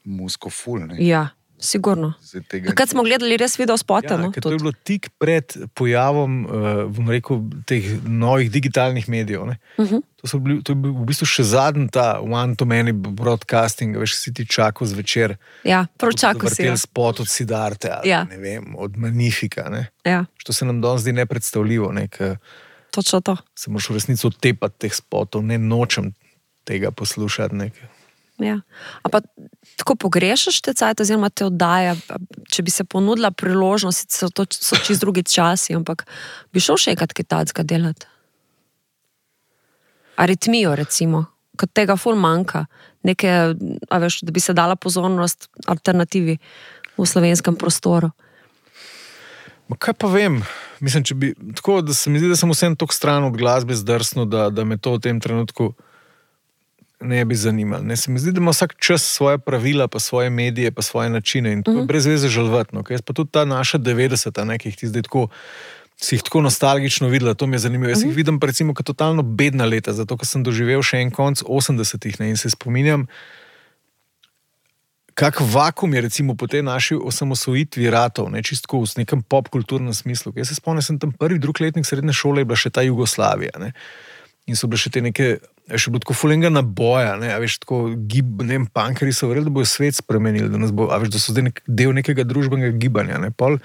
Musko ful, ne. Ja, sigurno. Zdaj tega- Takrat smo gledali res videospote, Ja, no? ker to je bilo tik pred pojavom, uh, bom rekel, teh novih digitalnih medijev. Ne? Uh -huh. To, so bili, to je bil v bistvu še zadnji ta one-to-many broadcasting, veš, si ti čakal zvečer. Ja, prav čakal si. Vrtel Ja. spot od Sidarte, ali Ja. ne vem, od Magnifica. Ne? Ja, Što se nam danes zdi nepredstavljivo, ne? Ker točno to. se moraš v resnici odtepati teh spotov, ne nočem tega poslušati. Ne? Ja. A pa tako pogrešaš te cajt, oziroma te oddaja, če bi se ponudila priložnost, so to so čist drugi časi, ampak bi šel še enkrat kaj tacga delati? Aritmijo, recimo, kot tega ful manjka, neke, a veš, da bi se dala pozornost alternativi v slovenskem prostoru. Ma kaj pa vem, mislim, če bi, tako, da se mi zdi, da sem vsem tok stran od glasbe zdrsnil, da, da me to v tem trenutku ne bi zanimalo. Ne, se mi zdi, da ima vsak čas svoje pravila, pa svoje medije, pa svoje načine in tako mm. brez veze žalvatno. Okay? Pa tudi ta naša devetdeseta, ne, ki jih ti zdaj tako, si jih tako nostalgično videla, to mi je zanimivo. Jaz mm. jih vidim pa recimo kot totalno bedna leta, zato ker sem doživel še en konc osemdesetih, ne, in se spominjam, kak vakum je recimo po tej naši osamosvojitvi ratov, ne, čistko v nekem popkulturnem smislu. Jaz se spomnim, sem tam prvi, drug letnik srednje šole, je bila še ta Jugoslavija, ne. In so bile še te neke, še bilo tako fulenga naboja, ne, a veš, tako gib, ne vem, punkeri so verjeli, da bojo svet spremenili, da nas bo, a veš, da so zdaj nek, del nekega družbenega gibanja, ne, pol,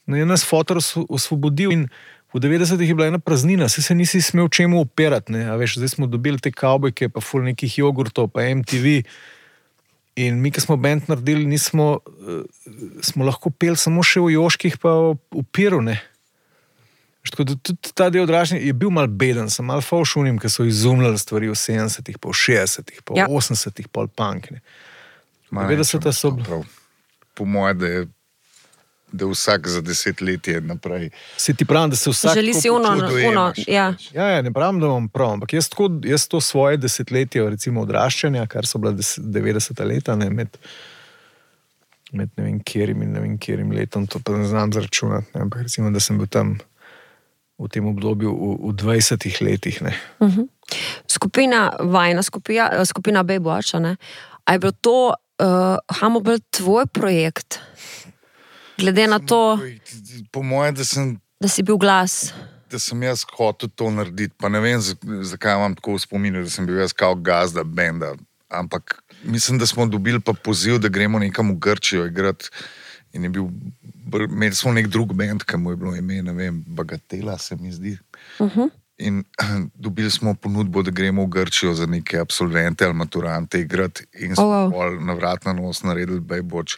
no, je nas fotor osvobodil in v devetdesetih je bila ena praznina, se se nisi smel čemu operati, ne, a veš, zdaj smo dobili te kavbojke, pa ful nekih jogurtov, pa M T V in mi, ki smo band naredili, nismo, uh, smo lahko peli samo še v Joških, pa v Piru, ne. Tako da tudi ta del odražanja je bil mal beden, sem mal falšunim, ki so izumljali stvari v sedemdesetih, pa v šestdesetih, pa v ja. osemdesetih, pa v punk. devetdeseta so... Po moje, da je da vsak za desetletje naprej. Se ti pravim, da se vsak... Želi si uno, uno, ja. Ja, ja, ne pravim, da imam prav, ampak jaz, tako, jaz to svoje desetletje, recimo odraščanja, kar so bila devetdeseta leta, ne, med, med ne vem kjerim in ne vem kjerim letom, to pa ne znam zračunati, ne, ampak recimo, da sem bil tam v tem obdobju v, v dvajsetih letih. Ne. Uh-huh. Skupina, vajna skupina, skupina Baywatcha, ne? A je bilo to uh, Hamo bil tvoj projekt? Glede na to, po moje, da sem da si bil glas. Da sem jaz hotel to narediti, pa ne vem, zakaj imam tako v spominu, da sem bil jaz kao gazda benda, ampak mislim, da smo dobili pa poziv, da gremo nekam v Grčijo igrati in je bil, imeli smo nek drug band, ki mu je bilo ime, ne vem, Bagatela se mi zdi. Uh-huh. In dobili smo ponudbo, da gremo v Grčijo za neke absolvente ali maturante igrati in smo oh, wow. pol na vrat na nos naredili Baywatch,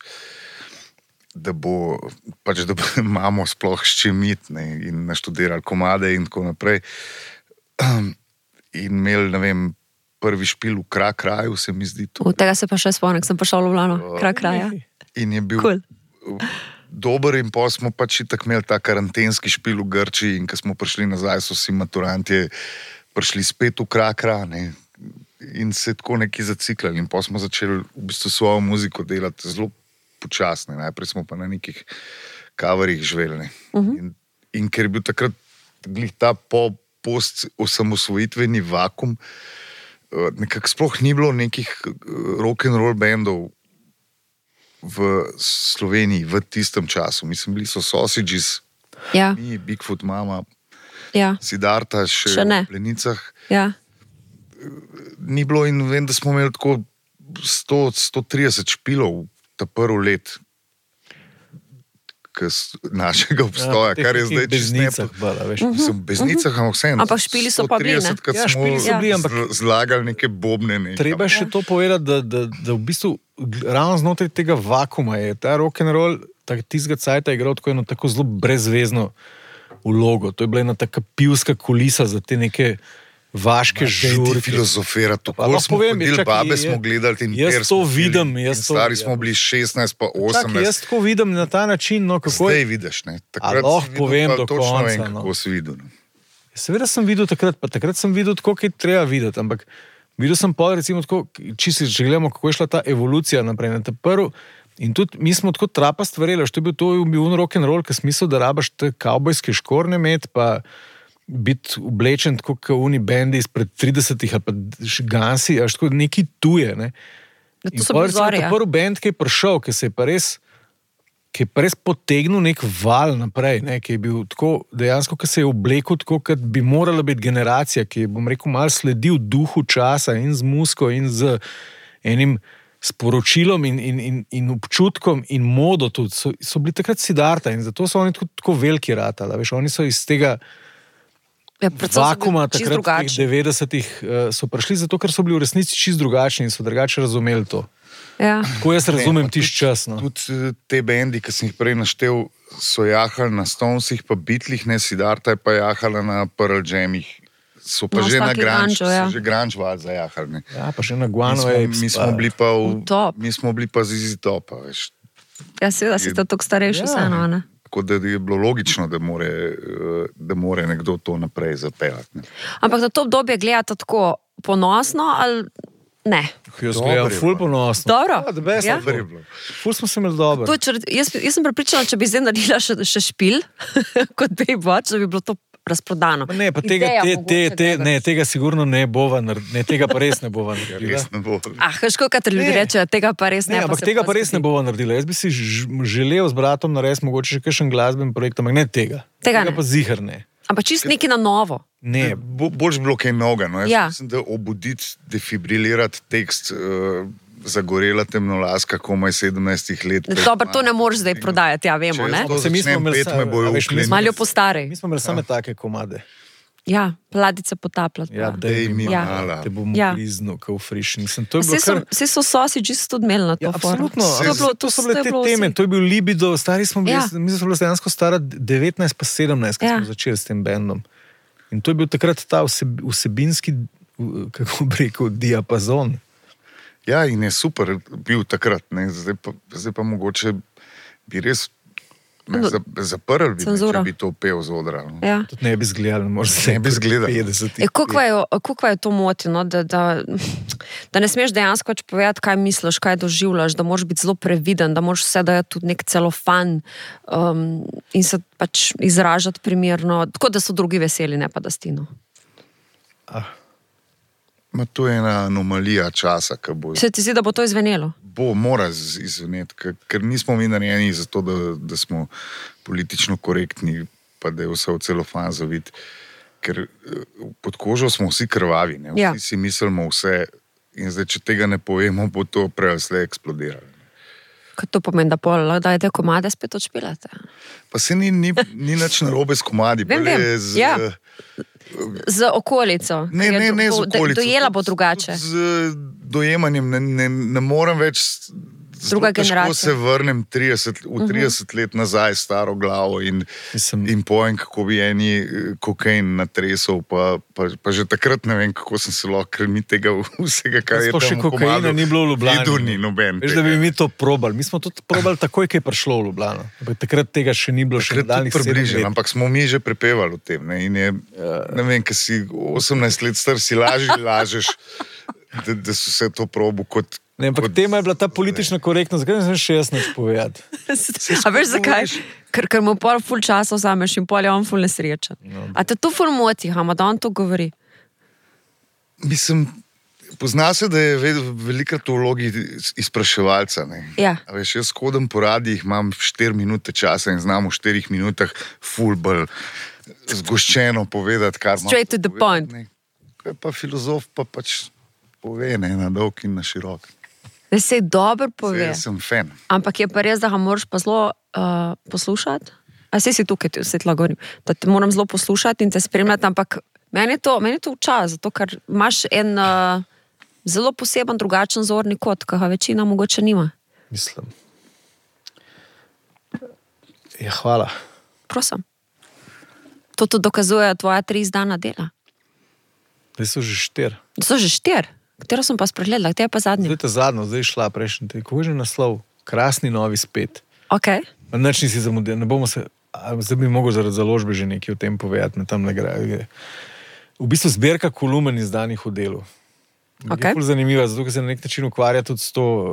da bo, pač da bo imamo sploh s čim iti, ne, in naštudirali komade in tako naprej. In imeli, ne vem, prvi špil v Krak kraju, se mi zdi to. V tega se pa še spomnim, sem pa šel v Ljubljano, Krak kraja. In je bil cool. Dober in pa smo pač itak imeli ta karantenski špil v Grčiji in ko smo prišli nazaj, so si maturantje prišli spet v Krak kraj, ne, in se tako neki zaciklali in pa smo začeli v bistvu svojo muziko delati zelo počasne, najprej smo pa na nekih coverih živeli. Uh-huh. In, in ker je bil takrat glih ta po, post-osamosvojitveni vakum, nekako sploh ni bilo nekih rock'n'roll bandov v Sloveniji v tistem času. Mislim, bili so Sausages, ja. mi, Bigfoot Mama, ja. Siddharta še, še v Plenicah. Ja. Ni bilo in vem, da smo imeli tako sto, sto trideset špilov ta prvi let našega obstoja, ja, kar je zdaj beznicah, bala, veš. Mislim, beznicah, ampak vsem. Ampak špili so pa bili, ne? Ja, špili so bili, ampak zlagali neke bobne. Nekam. Treba še to povedati, da, da, da v bistvu ravno znotraj tega vakuma je ta rock'n'roll, tistega cajta je igral tako eno tako zelo brezvezno vlogo. To je bila ena taka pivska kulisa za te neke vaške žurke. Filozofira, tako smo povem, hodili, čaki, babe je, smo gledali in jaz to vidim. Jaz to, stari smo bili šestnajst pa osemnajst. Čaki, jaz tako vidim na ta način. No, kako zdaj vidiš, ne? Takrat a lahko povem do točno konca. Vem, no. kako si videl. Ne? Seveda sem videl takrat, pa takrat sem videl tako, kaj treba videti, ampak videl sem pa recimo tako, čisto, če gledamo, kako je šla ta evolucija naprej. Na ta prv, in tudi mi smo tako trapast verjeli, što je bil to bil rock'n'roll, ki smisel, da rabaš te kavbojske škorne imeti, pa biti oblečen tako kot uni bendi izpred tridesetih ali pa Gansi, až tako neki tuje. Ne? In pa recimo ta prvi band, ki je prišel, ki se je pa res, ki je pa res potegnil nek val naprej, ne? Ki je bil tako, dejansko, ki se je oblekel tako, kot bi morala biti generacija, ki je, bom rekel, malo sledil duhu časa in z muziko in z enim sporočilom in, in, in, in občutkom in modo tudi. So, so bili takrat Siddharta in zato so oni tako, tako veliki ratali. Veš, oni so iz tega Ja, vakuma takrat v teh devetdesetih uh, so prišli zato, ker so bili v resnici čist drugačni in so drugače razumeli to. Ja. Tako jaz razumem tisti čas. No. Tudi te bendi, ki sem jih prej naštel, so jahali na Stonesih, pa Beatlih, ne, Siddharta je pa jahala na Pearl Jamih. So pa No, že na taki grunge, grunge, ja. so že grunge val zajahali. Ne. Ja, pa še na Mi Guano smo, Apes. mi smo bili pa v, V top. mi smo bili pa z Easy Topa, veš. Ja, seveda si to tako starejši Ja. vseeno, ne? Tako da je bilo logično, da more, eh, da more nekdo to naprej zapeljati. Ne. Ampak za to obdobje gledate tako ponosno ali ne? Jaz Dobro gledam je ful bilo. ponosno. Dobro. Ja, the best Ja? of Super je all. bilo. Ful smo se imeli dobro. To, če, jaz, jaz sem prepričana, če bi zdaj naredila še, še špil, kot Baywatch, da bi bilo to razprodano. Ne, pa tega, Ideja te, te, mogoče, te, da- ne, tega sigurno ne bova naredila. Ne, tega pa res ne bova naredila. Res ne bo. Ah, škoda, kad ljudi Ne. rečejo, tega pa res ne. Ne, ampak se tega pa pa res ne zgodi. bova naredila. Jaz bi si ž- želel z bratom narediti mogoče še kakšen glasben projekt, ampak ne tega. Tega ne. pa ziher ne. Ampak čist nekaj na novo. Ne, Bo, boljš bilo kaj noga. No. Jaz Ja. mislim, da obuditi, defibrilirati tekst uh, zagorela temnolaska, komaj sedemnajstih let. Dobro, to ne moreš zdaj prodajati, ja, vemo, Če ne? jaz to Se mi smo začnem imeli pet, sa- me bojo a veš, mi vklenili. smo- Malo po starej. mi smo imeli same take komade. Ja, pladice potapljati. Ja, pa. Dej mi Ja. mala. Te bom Ja. bliznil, kot v friš. Mislim, to je Vse bilo so, kar... vse so sosi čisto odmeli na to. Ja, forum. absolutno. To, je bilo, to so bile je te bilo teme, vsi- to je bil libido, stari smo bili, Ja. ja. mi smo bili dejansko stara devetnajst pa sedemnajst, ko Ja. smo začeli s tem bendom. In to je bil takrat ta vseb, vsebinski, kako bi rekel, diapazon. Ja, in je super bil takrat. Ne. Zdaj, pa, zdaj pa mogoče bi res ne, No, za, zaprl, bi, me, cenzura. če bi to pel z odra. No. Ja. Tudi ne bi zgledali, morda Ne bi zgledali. petdeset. E, kako je, kako je to moti, no? da, da, da ne smeš dejansko več povedati, kaj misliš, kaj doživljaš, da moraš biti zelo previden, da moraš vse dajati tudi nek celofan um, in se pač izražati primerno, tako da so drugi veseli, ne pa da stino. Ma, to je ena anomalija časa, ki bo, Se ti zdi, da bo to izvenelo? bo mora z- izveneti, ker, ker nismo mi narejeni za to, da, da smo politično korektni, pa da je vse v celofan zavit. Ker eh, pod kožo smo vsi krvavi, ne? Vsi Ja. si mislimo vse in zdaj, če tega ne povemo, bo to prej ali slej eksplodiralo. Kaj to pomeni, da pol, da te komade spet odšpilate? Pa se ni, ni, ni nič narobe s komadi, Vem, bolj je vem. z, Ja. Z okolico. Ne, ker je ne, ne, do- z okolico. Dojela bo Tudi- drugače. tudi Z dojemanjem ne, ne, ne morem več. zelo Druga težko generacija. se vrnem trideset, v trideset let nazaj s staro glavo in, Mislim- in pojem, kako bi eni eh, kokain natresel. Pa, pa, pa že takrat ne vem, kako sem se lahko, ker mi tega vsega, kar je Sploh še tam v kokaina komadu, ni bilo v Ljubljani. videl ni noben. Veš, da bi mi to probali. Mi smo to probali takoj, ko je prišlo v Ljubljano. Ampak takrat tega še ni bilo, še Takrat tudi nadaljnjih sedem približen, let. ampak smo mi že prepevali o tem. Ne, in je, ne vem, ker si osemnajst let star, si lažje lažeš, da, da so se to probo kot. Ne, ampak kot- tema je bila ta politična korektnost, zakaj ne smeš še jaz nič povedati? A veš zakaj? Ker, ker mu pol ful časa vzameš in pol je on ful nesrečen. No. A te to ful moti, Hama, da on to govori? Mislim, pozna se, da je ve- velikrat v vlogi izpraševalca. Ne. Ja. A veš, jaz hodim po radijih, imam štiri minute časa in znam v štirih minutah fulbol zgoščeno povedati, kar imam Straight to the povedati, point. ne. Kaj pa filozof pa pač pove, ne, na dolg in na širok. Da se dobro pove. Saj, jaz sem fan. Ampak je pa res, da ga moraš pa zelo uh, poslušati. A se si tukaj, ti vse tlagorim. Da te moram zelo poslušati in te spremljati, ampak meni je to, meni je to včasih, zato ker imaš en uh, zelo poseben, drugačen zorni kot, ki ga večina mogoče nima. Mislim. Ja, hvala. Prosim. To tudi dokazuje tvoja tri izdana dela. Zdaj so že štir. So že štir, katero sem pa spregledala, katero pa zadnji. Zdaj je ta zadnja, zdaj je šla prejšnji teden. Kako je že naslov? Krasni novi spet. Okay. Nič nisi zamudil, ne bomo se. a, Zdaj bi mogel zaradi založbe že nekaj o tem povedati, na tam ne gre. V bistvu zbirka kolumen izdanih v delu. Okay. Je ful zanimiva, zato ker se na nek način ukvarja tudi s to, uh,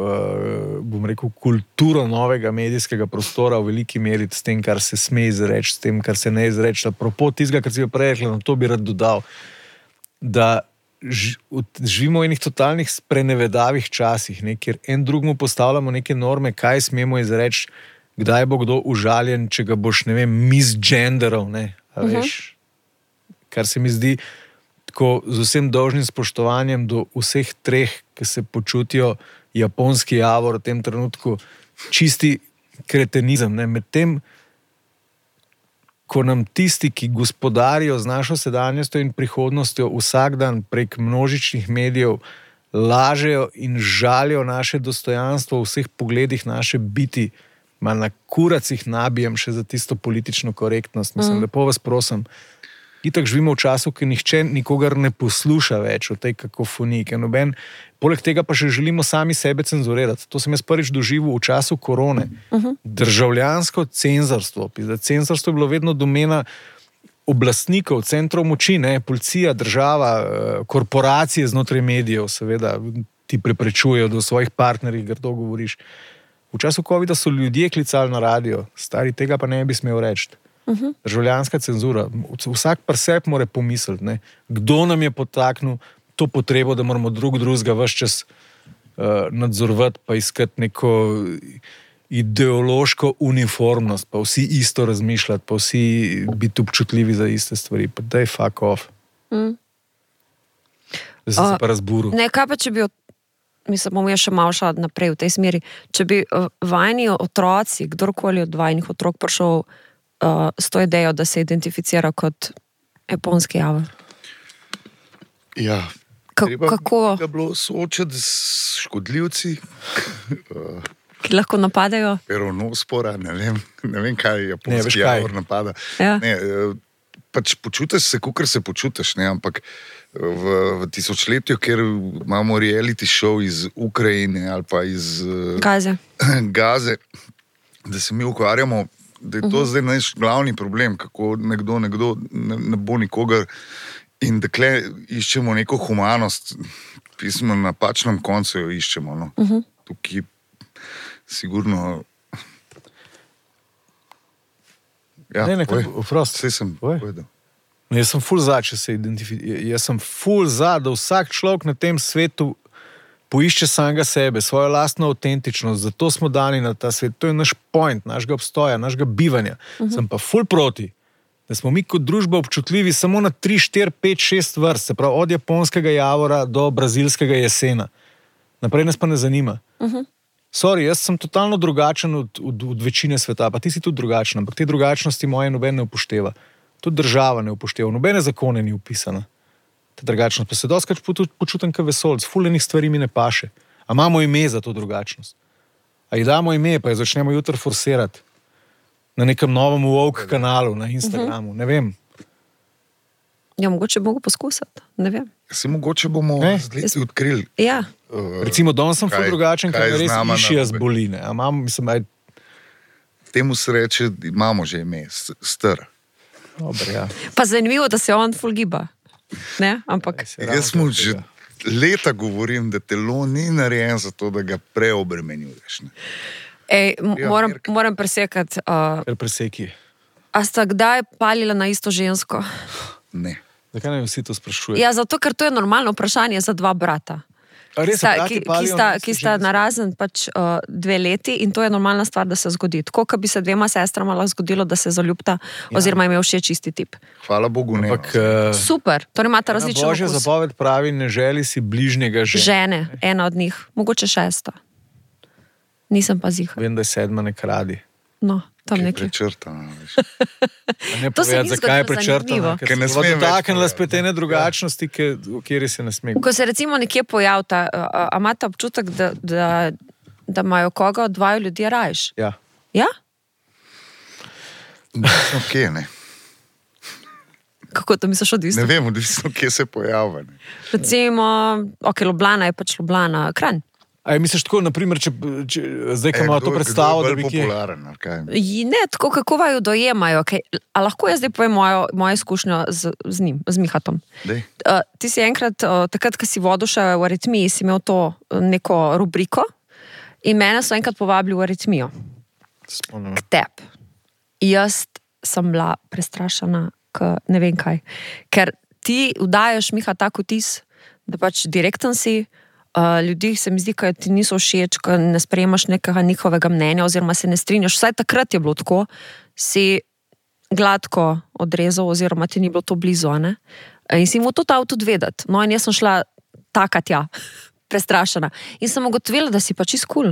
bom rekel, kulturo novega medijskega prostora v veliki meri, s tem, kar se sme izreči, s tem, kar se ne izreči. Apropo tistega, kar si jo prej rekla, na to bi rad dodal, da ž, od- živimo v enih totalnih sprenevedavih časih, ne, kjer en drugmu postavljamo neke norme, kaj smemo izreči, kdaj bo kdo užaljen, če ga boš, ne vem, misgenderal, ne, a veš, kar se mi zdi tako z vsem dolžnim spoštovanjem do vseh treh, ki se počutijo japonski javor v tem trenutku, čisti kretenizem. Ne? Medtem, ko nam tisti, ki gospodarijo z našo sedanjostjo in prihodnostjo, vsak dan prek množičnih medijev lažejo in žalijo naše dostojanstvo v vseh pogledih naše biti, malo na kuracih nabijem še za tisto politično korektnost. Mislim, mm. lepo vas prosim. Itak živimo v času, ki nihče nikogar ne posluša več o tej kakofoniji. Noben, poleg tega pa še želimo sami sebe cenzurirati. To sem jaz prvič doživel v času korone. Uh-huh. Državljansko cenzorstvo. Cenzorstvo je bilo vedno domena oblastnikov, centrov moči, ne? Policija, država, korporacije znotraj medijev, seveda ti preprečujejo, da o svojih partnerjih grdo govoriš. V času covida so ljudje klicali na radio, stari tega pa ne bi smel reči. Uh-huh. Državljanska cenzura. Vsak pri sebi mora pomisliti, ne? Kdo nam je potaknil to potrebo, da moramo drug drugega ves čas uh, nadzorovati, pa iskati neko ideološko uniformnost, pa vsi isto razmišljati, pa vsi biti občutljivi za iste stvari. Pa daj fuck off. Mm. Zdaj sem uh, se pa razburil. Ne, kaj pa če bi, mislim, bom jaz še malo šla naprej v tej smeri, če bi uh, vajni otroci, kdorkoli od vajnih otrok prišel Uh, s to idejo, da se identificira kot japonski javor. Ja, Ka- treba kako? ga bilo soočati s škodljivci. Ki lahko napadajo? Peronospora, ne vem, ne vem kaj japonski ne, javor napada. Ja. Ne, pač počutiš se, kakor se počutiš, ne, ampak v, v tisočletju, ker imamo reality show iz Ukrajine ali pa iz Gaze, Gaze, da se mi ukvarjamo, da je to uh-huh. zdaj naš glavni problem, kako nekdo, nekdo ne, ne bo nikogar in dakle iščemo neko humanost, pismo na napačnem koncu jo iščemo. No. Uh-huh. Tukaj sigurno... Ja, ne, nekaj, vprost. Vse sem povedal. Jaz sem ful za, če se identificira. Jaz sem ful za, da vsak človek na tem svetu poišče samega sebe, svojo lastno avtentičnost, zato smo dani na ta svet. To je naš point, našega obstoja, našega bivanja. Uh-huh. Sem pa ful proti, da smo mi kot družba občutljivi samo na tri, štiri, pet, šest vrst, se pravi od japonskega javora do brazilskega jesena. Naprej nas pa ne zanima. Uh-huh. Sorry, jaz sem totalno drugačen od, od, od večine sveta, pa ti si tudi drugačen, ampak te drugačnosti moje noben ne upošteva. Tudi država ne upošteva, nobene zakone ni upisana. Ta drugačnost, pa se doskrat počutim kot vesoljc, fuljenih stvari mi ne paše. A imamo ime za to drugačnost? A ji damo ime, pa jo začnemo jutri forsirati na nekem novem woke kanalu, na Instagramu, uh-huh. ne vem. Ja, mogoče bomo poskusiti, ne vem. Se mogoče bomo z leti odkrili. Ja. Uh, Recimo, danes sem ful drugačen, ker me res išija z boline. A imam, mislim, aj... Temu se reče, imamo že ime, str. Dobre, ja. Pa zanimivo, da se on ful giba. Ne, ampak... Jaz mu že leta govorim, da telo ni narejen za to, da ga preobremenjuješ. Ne? Ej, m- ja, moram, moram presekati. Uh, preseki. A sta kdaj palila na isto žensko? Ne. Zakaj ne vsi to sprašujejo? Ja, zato, ker to je normalno vprašanje za dva brata. Res, Sta, ki, ki sta, ki sta narazen pač uh, dve leti in to je normalna stvar, da se zgodi. Tako, kot bi se dvema sestrama lahko zgodilo, da se zaljubta, ja. Oziroma imel všeč isti tip. Hvala Bogu, ne. Ampak, uh, super, torej imate različno Božja okus. zapoved pravi, ne želi si bližnjega žene. Žene, ena od njih, mogoče šesta. Nisem pa ziha. Vem, da je sedma ne kradi. No, tam Ki je nekaj. prečrtana. Ne To se povedati, ni zakaj je zgodilo prečrtana, zanimivo. ker Ker ne se smem več dotaknila povedati. spet ene drugačnosti, ki, v kateri se ne sme. Ko se recimo nekje pojavta, a, a imate občutek, da, da, da imajo koga od dvaju ljudje rajš? Ja. Ja? Odvisno kje, ne. Kako to misliš odvisno? Ne vem, odvisno kje se pojavlja. Ne. Recimo, ok, Ljubljana je pač Ljubljana, Kranj. A je misliš tako, naprimer, če, če zdaj, ko imajo to predstavo, da bi kje... popularen, ali kaj? Ji- Ne, tako kako vaju dojemajo. Okay. A lahko jaz zdaj povem mojo, mojo izkušnjo z, z njim, z Mihatom. Dej. Uh, ti si enkrat, uh, takrat, ko si vodil še v aritmiji, si imel to uh, neko rubriko in mene so enkrat povabili v aritmijo. Spomnim. K tebi. Jaz sem bila prestrašena, k ne vem kaj. Ker ti vdajaš, Miha, tak vtis, da pač direkten si, Uh, ljudi se mi zdi, da ti niso všeč, da ne sprejemaš nekega njihovega mnenja oziroma se ne strinjaš. Vsaj takrat je bilo tako, si gladko odrezal oziroma ti ni bilo to blizu. Ne? In si mu to dal tudi vedeti. No in jaz sem šla taka tja, prestrašena. In sem ugotovila, da si pa čist kul.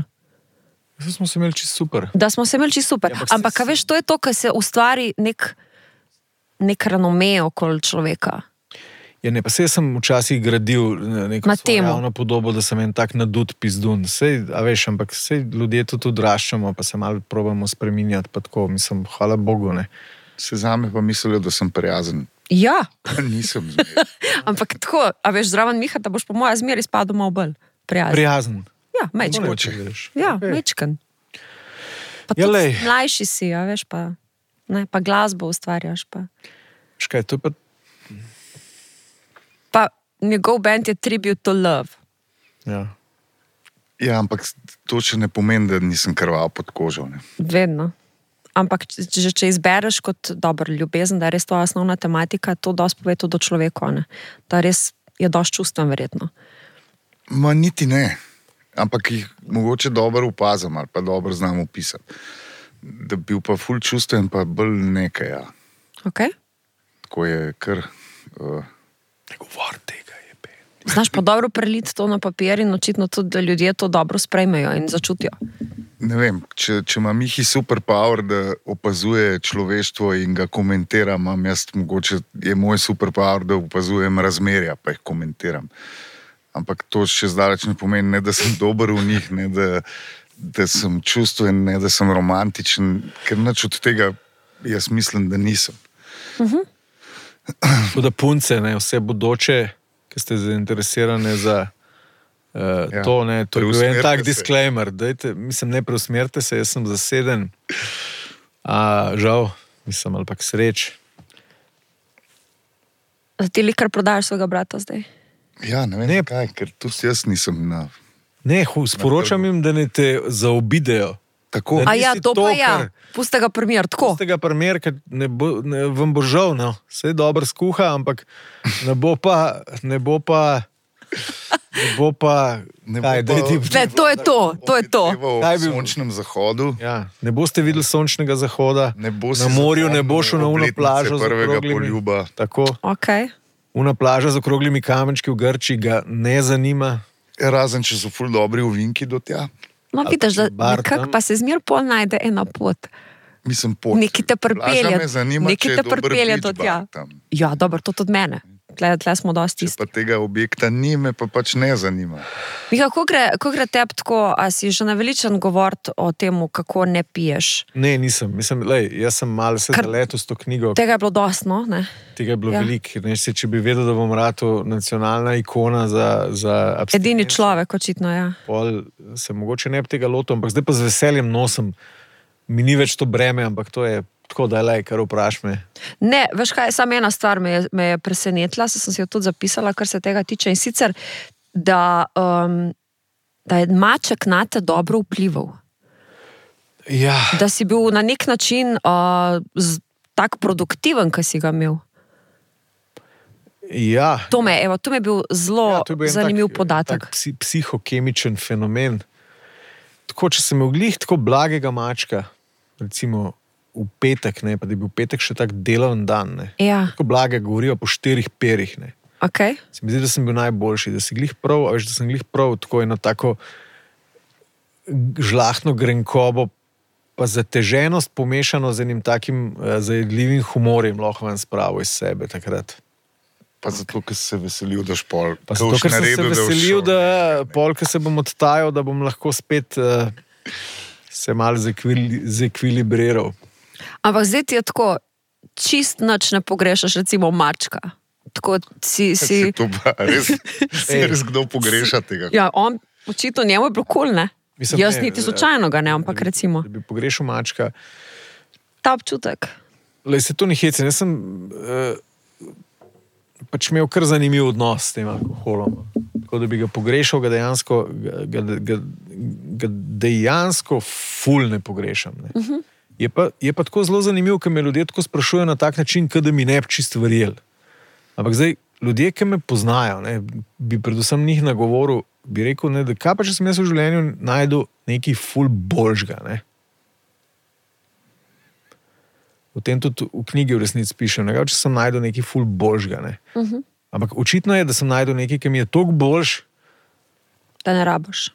Zdaj smo se imeli čisto super. Da smo se imeli čisto super. Ja, ampak ampak, si- a veš, to je to, kar se ustvari nek nek renome okoli človeka. Ja, ne, pa sej sem včasih gradil neko Na svojo temo. javno podobo, da sem en tak nadut pizdun. Sej, a veš, ampak sej ljudje tudi odraščamo, pa se malo probamo spreminjati, pa tako, mislim, hvala Bogu, ne. Se zame pa mislijo, da sem prijazen. Ja, Nisem zmeraj. ampak tako, a veš, zraven Miha, da boš po moja zmeri spadal malo bolj prijazen. Prijazen. Ja, mečken. Mogoče, veš. Ja, Okej. mečken. Pa Ja, tudi lej. mlajši si, a veš, pa, ne, pa glasbo ustvarjaš, pa. Škaj, to je pa, Pa njegov band je Tribute to Love. ja. Ja, ampak to še ne pomeni, da nisem krval pod kožo. Ne. Vedno. Ampak če, če- če izbereš kot dobro ljubezen, da je res to osnovna tematika, to dosti pove tudi o človeku, ne? Da res je dosti čustven verjetno. Ma niti ne. Ampak jih mogoče dobro opazim ali pa dobro znam opisati. Da bi bil pa ful čustven, pa bolj nekaj, ja. Okay? Tako je kar... Uh, Ne govor tega je pe. Znaš pa dobro preliti to na papir in očitno tudi, da ljudje to dobro sprejmejo in začutijo. ne vem, če, če ima Mihi superpower, da opazuje človeštvo in ga komentira, imam jaz mogoče, je moj superpower, da opazujem razmerja, pa jih komentiram. Ampak to še zdaleč ne pomeni, ne da sem dober v njih, ne da, da sem čustven, ne da sem romantičen, ker nič od tega jaz mislim, da nisem. Tako da punce, ne, vse bodoče, ki ste zainteresirane za uh, Ja, to, ne, to je bil en preusmerite tak se. disclaimer. Dajte, mislim, ne preusmerite se, jaz sem zaseden. A, žal, mislim, ali pa k sreč. Ti li kar prodajaš svojega brata zdaj? Ja, ne vem, Ne. ne. kaj, ker tudi jaz nisem na... Ne, hu, sporočam jim, da ne te zaobidejo. Tako, Da A ja, nisi to pa to, ja. kar- Pusti ga primer, tako. Z tega primer, ker ne bo, ne, vam bo žal, no. Vse dobro skuha, ampak ne bo pa, ne bo pa, ne bo pa, Ne bo kaj, pa- daj ti, Ne, to je to, to je to. Kaj V bi- sončnem zahodu. ja, ne boste videli sončnega zahoda, Ne bo si na morju ne zapomnil bo šel na uno obletnice plažo z prvega okroglimi, poljuba. tako, Okay. una plaža z okroglimi kamenčki v Grčiji ga ne zanima. Razen, če so ful dobri ovinki do tja. No, Ali vidiš, pa da če bar nekako tam. pa se zmer pol najde ena pot. Mislim, pot. Nekaj te pripelje- Plaža me zanima, nekaj če je te dober pripelje beach do bar tja. tam. Ja, dobro, to tudi mene. Tle, tle smo dosti Če isti. pa tega objekta ni, me pa pač ne zanima. Miha, ko gre, ko gre tebi tako, a si že naveličen govoriti o tem, kako ne piješ? Ne, nisem, mislim, lej, jaz sem malo se Kar- zaletel s to knjigo, Tega je bilo dosti, no? Ne? tega je bilo Ja. ja. veliko. Ne, se, če bi vedel, da bom rato nacionalna ikona za, za Edini abstinenco, človek, očitno, ja. pol se mogoče ne bi tega lotil, ampak zdaj pa z veseljem nosim. Mi ni več to breme, ampak to je tako, da je lej, kar vpraš me. Ne, veš kaj, samo ena stvar me je, me je presenetila, saj sem si jo tudi zapisala, kar se tega tiče, in sicer, da, um, da je maček na te dobro vplival. Ja, Da si bil na nek način uh, z, tak produktiven, ki si ga imel. ja. To me, evo, to mi je bil zelo Ja, to je bil en zanimiv tak, podatek. Tak psi, psihokemičen fenomen. Tako, če sem imel glih tako blagega mačka, recimo v petek, ne, pa da je bil petek še tak delovni dan, ne, Ja, tako blage govorijo po štirih perih. Ne. ok. Se mi zdi, da sem bil najboljši, da si glih prav, a veš, da sem glih prav tako eno tako žlahtno grenkobo, pa zateženost pomešano z enim takim uh, zajedljivim humorjem lahko vam spravo iz sebe takrat. Pa zato, ker si se veselil, da špol. Pa zato, ker sem se veselil, da pol, ko se bom odtajal, da bom lahko spet uh, se malo zekvili, zekvilibriral. Ampak zdaj ti je tako, čist nič ne pogrešaš, recimo mačka. Tako si. si Si to pa res, si Ej. res kdo pogreša tega. ja, on, očitno njemu je bilo kul, ne? Mislim, Jaz ne, niti da- slučajno ga ne, ampak da bi- recimo. Da bi pogrešal mačka. Ta občutek. Lej, se to ni hecen. Jaz sem uh, pač imel kar zanimiv odnos s tem alkoholom. Tako da bi ga pogrešal, ga dejansko, ga, ga, ga, ga dejansko ful ne pogrešam. Ne. Uh -huh. je, pa, je pa tako zelo zanimivo, ker me ljudje tako sprašujejo na tak način, kot da mi ne bi čist verjeli. Ampak zdaj, ljudje, ki me poznajo, ne, bi predvsem njih nagovoril, bi rekel, ne, da kaj pa če sem jaz v življenju najdel nekaj ful boljšega. Ne. O tem tudi v knjigi v resnici pišem, ne, če sem najdel nekaj ful boljšega. Ne. Uh -huh. Ampak očitno je, da sem najdel nekaj, ki mi je toliko boljš, Da ne rabiš.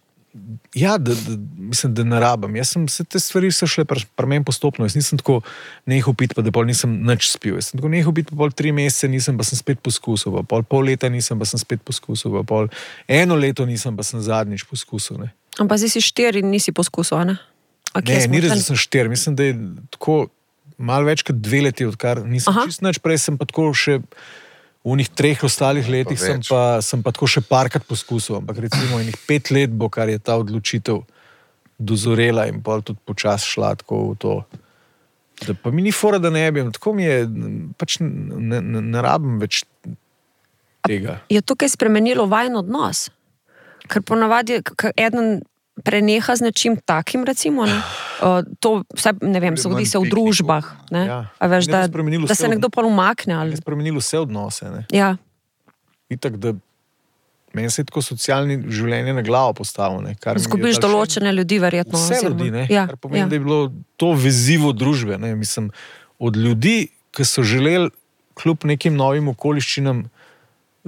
Ja, da, da, mislim, da ne rabim. Jaz sem, vse te stvari so šle pri pr meni postopno. Jaz nisem tako nehal piti, pa da pol nisem nič spil. Jaz sem tako nehal piti, pa pol tri mesece nisem, pa sem spet poskusil. Pa pol, pol leta nisem, pa sem spet poskusil. Pa pol eno leto nisem, pa sem zadnjič poskusil. Ne. Ampak zdaj si štiri in nisi poskusil, ne? Ne, Okay, ni res, da sem štiri. Mislim, da je tako malo več kot dve leti, odkar nisem Aha. čist nič. Prej sem pa tako še v unih treh ostalih letih pa sem, pa, sem pa tako še parkrat poskusil. Ampak recimo enih pet let bo, kar je ta odločitev dozorela in pa tudi počas šla tako v to. Da pa mi ni fora, da ne bi. Tako mi je, pač ne, ne, ne rabim več tega. Je to kaj spremenilo vajen odnos? Ker ponavadi eden preneha z nečim takim, recimo, ne? Uh, to, vsaj, ne vem, zgodi se v družbah, ne? Ja. A veš, da, da se nekdo pa umakne. Ali... Je spremenilo vse odnose, ne? Ja. Itak, da meni se je tako socialni življenje na glavo postavilo, ne? Zgubiš določene ljudi, verjetno. Vse ljudi, ne? Ja. Kar pomeni, ja. da je bilo to vezivo družbe, ne? Mislim, od ljudi, ki so želeli kljub nekim novim okoliščinam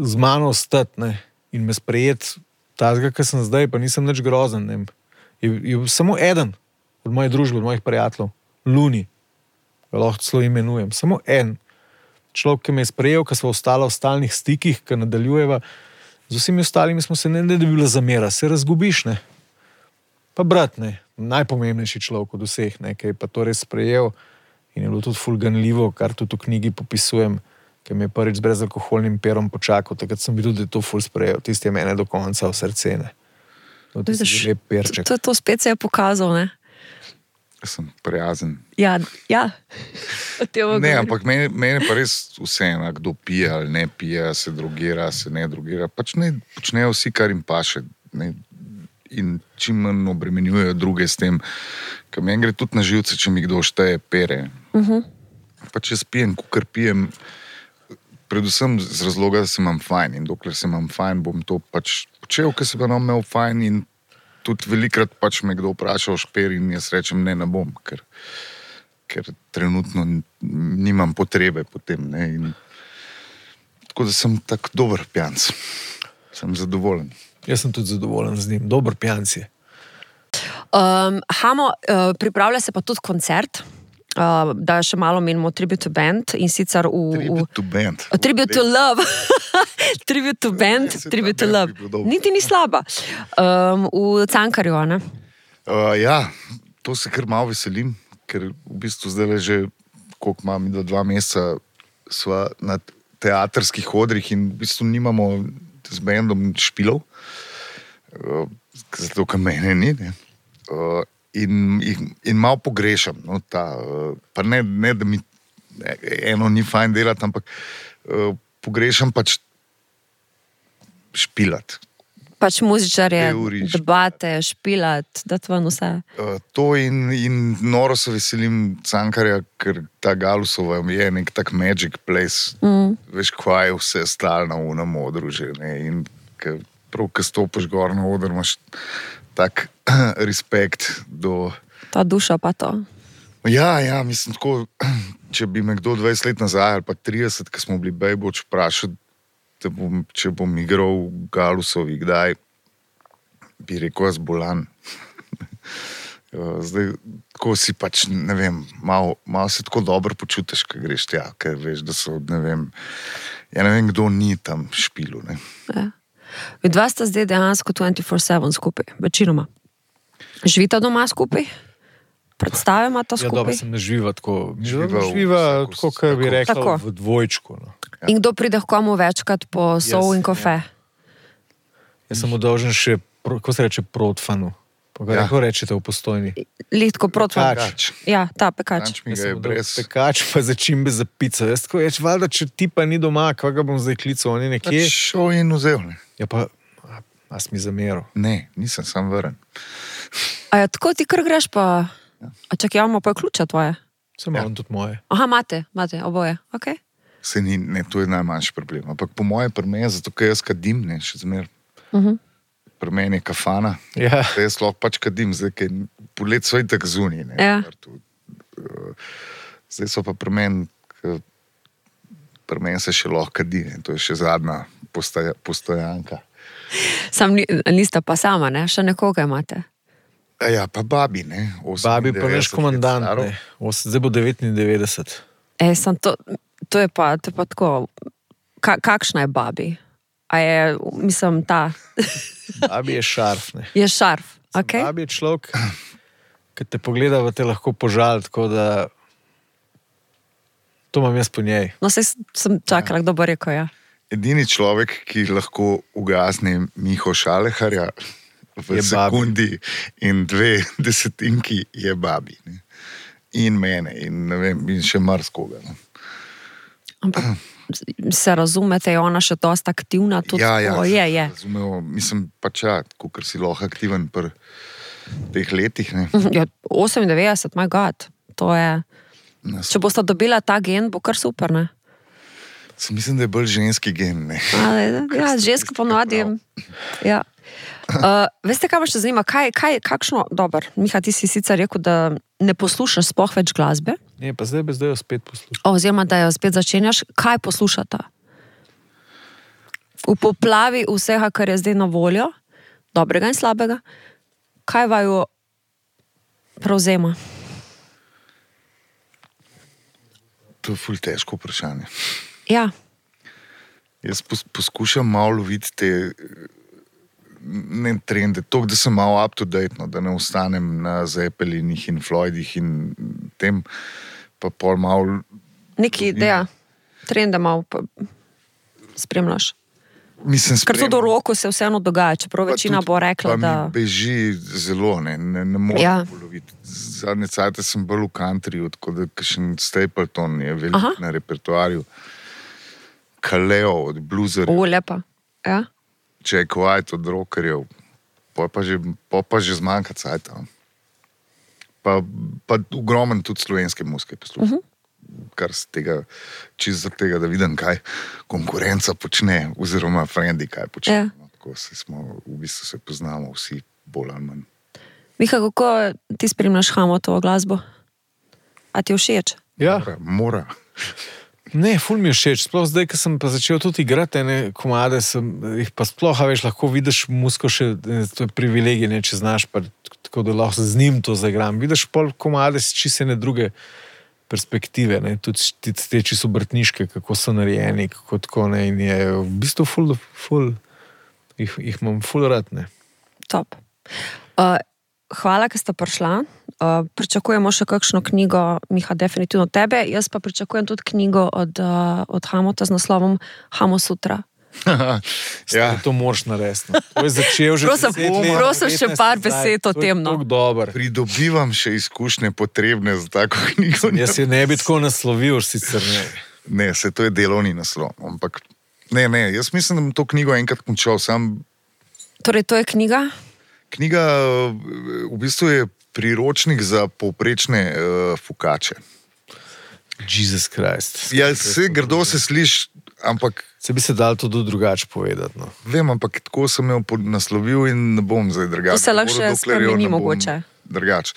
z mano ostati, ne? In me sprejeti tazga, ki sem zdaj, pa nisem nič grozen, ne? Je, je samo eden od moje družbe, od mojih prijateljev, Luni, ga lahko celo imenujem, samo en človek, ki me je sprejel, ki smo ostali v stalnih stikih, ki nadaljujeva, z vsemi ostalimi smo se ne, ne da bi bila zamera, se razgubiš, ne? Pa brat, ne, najpomembnejši človek od vseh, ne, ki je pa to res sprejel in je bilo tudi ful ganljivo, kar tudi v knjigi popisujem, ki mi je prvič z brezalkoholnim perom počakal, takrat sem videl, da je to ful sprejel, tisti je mene do konca v srce, ne. To, to, to, to spet se je pokazal, ne? Jaz sem prijazen. Ja, ja. Ne, ampak meni, meni pa res vseeno, kdo pije ali ne pije, se drogira, se ne drogira. Pač ne počnejo vsi, kar jim paše. Ne, in čim manj obremenjujejo druge s tem. Ker meni gre tudi na živce, če mi kdo šteje pere. Uh-huh. Pač jaz pijem, kukar pijem, predvsem z razloga, da se imam fajn. In dokler se imam fajn, bom to pač počel, ker se pa nam imel fajn in tudi velikrat pač me kdo vpraša o šper in jaz rečem, ne, ne bom, ker, ker trenutno nimam potrebe potem, ne, in tako da sem tak dober pijanc. Sem zadovoljen. Jaz sem tudi zadovoljen z njim. Dober pijanc je. Um, Hamo, uh, pripravlja se pa tudi koncert, uh, da še malo menimo Tribute to Band in sicer v... Tribute to Band. Uh, tribute to Love. Tribute to Band, Tribute to Love. Niti ni slaba. Um, v Cankarju, ne? Uh, ja, to se kar malo veselim, ker v bistvu zdaj že, koliko imam, do dva meseca sva na teatrskih odrih in v bistvu nimamo z bandom špilov, uh, zato, ker mene ni, ne. Uh, in, in, in malo pogrešam, no, ta, uh, pa ne, ne, da mi eno ni fajn delati, ampak uh, pogrešam pač špilat. Pač muzičarje, debate, špilat, da to vse. Uh, to in, in noro se veselim Cankarja, ker ta Galusova je nek tak magic place. Mm. Veš, kva je vse stalno v nam odru že, ne? In ke, prav, ko stopiš gor na odr, imaš tak respekt do... Ta duša pa to. Ja, ja, mislim tako, če bi me kdo dvajset let nazaj ali pa trideset, ko smo bili bejboč, vprašal, da bom, če bom igral v Galusovi, kdaj bi rekel, jaz bolan. Zdaj, tako si pač, ne vem, malo, malo se tako dobro počutiš, ko greš tja, ker veš, da so, ne vem, ja ne vem, kdo ni tam špilu, ne. Ja. Vidva sta zdaj dejansko dvajset štiri sedem skupaj, večinoma. Živita doma skupaj? Predstavima ta skupaj? Ja, dobro, sem ne živa tako. Živa, živa tako, kot bi rekla, tako. V dvojčku. No. Ja. In kdo pride k komu večkrat po sol Jaz, in kafe? Ja. Jaz sem udolžen še, kako se reče, protfanu. Ja. Kako rečete v Postojni? Litko protfan. Pekač. Ja, ta pekač. Pekač mi ga je brez... Pekač pa začimbe za pico. Jaz tako reč, valjda, če ti pa ni doma, kva ga bom zdaj klical, on je nekje. Pač šel in vzel, ne. Ja pa, a, a si mi zameril? Ne, nisem sam vrn. A ja, tako ti kar greš pa... Ja. A čak, ja, imamo pa ključa tvoje? Sem imam ja. Tudi moje. Aha, imate, imate, oboje, okej. Okay. Se ni, ne, to je najmanjši problem. Ampak po moje pri meni, zato ker jaz kadim, ne, še zmer. Uh-huh. Pri meni je kafana. Ja. Da jaz lahko pač kadim, zdaj, ker polet so itak zunaj, ne. Ja. Zdaj so pa pri meni, pri meni se še lahko kadi, ne. To je še zadnja postoja, postojanka. Sam ni, nista pa sama, ne? Še nekoga imate. A ja, pa babi, ne? Babi pa veš komandant, staro. ne. Os- Zdaj bo devetindevetdeset. E, sam to, to, je pa, to je pa tako, ka, kakšna je babi? A je, mislim, ta, Babi je šarf, ne. je šarf, ok? Babi je človek, ki te pogleda, pa te lahko požal, tako da to imam jaz po njej. No, saj sem čakala, kdo bo rekel, ja. Edini človek, ki lahko ugasne Miho Šaleharja v Je sekundi in dve desetinki, je babi. Ne? In mene, in, ne vem, in še marskoga. Ne? Ampak se razumete, je ona še dosta aktivna, tudi Ja, ja, tako, je, je. Razumel, mislim pač, ja, ker si lahko aktiven pri teh letih. Ne? Ja, osemindevetdeset, my god, to je, Nas, če boste dobila ta gen, bo kar super, ne? mislim, da je bolj ženski gen. Ne? A, ja, ženska ponovadi. Ja. Uh, veste, kaj me še zanima? Kaj, kaj, kakšno, dober, Miha, ti si sicer rekel, da ne poslušaš sploh več glasbe, Ne, pa zdaj bi zdaj jo spet poslušal. oziroma da jo spet začenjaš. Kaj poslušata? V poplavi vsega, kar je zdaj na voljo, dobrega in slabega, kaj vaju prevzema? To je ful težko vprašanje. Ja, Jaz pos, poskušam malo loviti te ne trende, to, da sem malo up to date, no, da ne ostanem na Zeppelinih in Floydih in tem, pa pol malo. neki ideja, trende malo pa spremljaš. Mislim, Ker tudi v roku se vseeno dogaja, čeprav večina bo rekla, pa da... mi beži zelo, ne, ne, ne morem Ja. poloviti. Zadnje cajte sem bolj v countryju, tako da kakšen Stapleton je velik Aha. na repertoarju. Kaleo od bluzerjev, O, lepa. Ja? Jack White od rockerjev, pa pa že, pa pa že zmanjka cajta. Pa, pa ogromen tudi slovenske muzike poslušam. Uh -huh. Kar z tega, čisto zaradi tega, da vidim, kaj konkurenca počne, oziroma frendi, kaj počne. Ja. No, tako se smo, v bistvu se poznamo vsi bolj ali manj. Miha, kako ti spremljaš Hamotovo glasbo? A ti je všeč? Ja, Mora, mora. ne, ful mi je všeč. Sploh zdaj, ko sem pa začel tudi igrati ene komade, sem jih pa sploh, a veš, lahko vidiš musko še, to je privilegij, ne, če znaš, pa tako da lahko z njim to zagram. Vidiš pol komade s čisto ene druge perspektive, ne, tudi te, te čisto obrtniške, kako so narejeni, kako tako, ne, in je v bistvu ful, ful, jih, jih imam ful rad, ne. Top. Uh, hvala, ker ste prišla. Uh, pričakujemo še kakšno knjigo, Miha, definitivno tebe. Jaz pa pričakujem tudi knjigo od, uh, od Hamota z naslovom Hamo Sutra. Ja, To moraš narediti. No. To je začel že Prosim, deset let, prosim še petnajst par nazaj. besed o To je tem, no. tako dober. pridobivam še izkušnje potrebne za tako knjigo. Jaz je ne bi tako naslovil, sicer ne. Ne, se to je delovni naslov. Ampak ne, ne, jaz mislim, da bom to knjigo enkrat končal. Sam Torej, to je knjiga? knjiga v bistvu je priročnik za povprečne uh, fukače. Jesus Christ. Ja, se grdo se sliši, ampak Se bi se dal tudi drugače povedati. No. vem, ampak tako sem jo pod- naslovil in ne bom zdaj drugače. To se lahko še govoril, dokler jo spremeni ne bom mogoče. Drugače.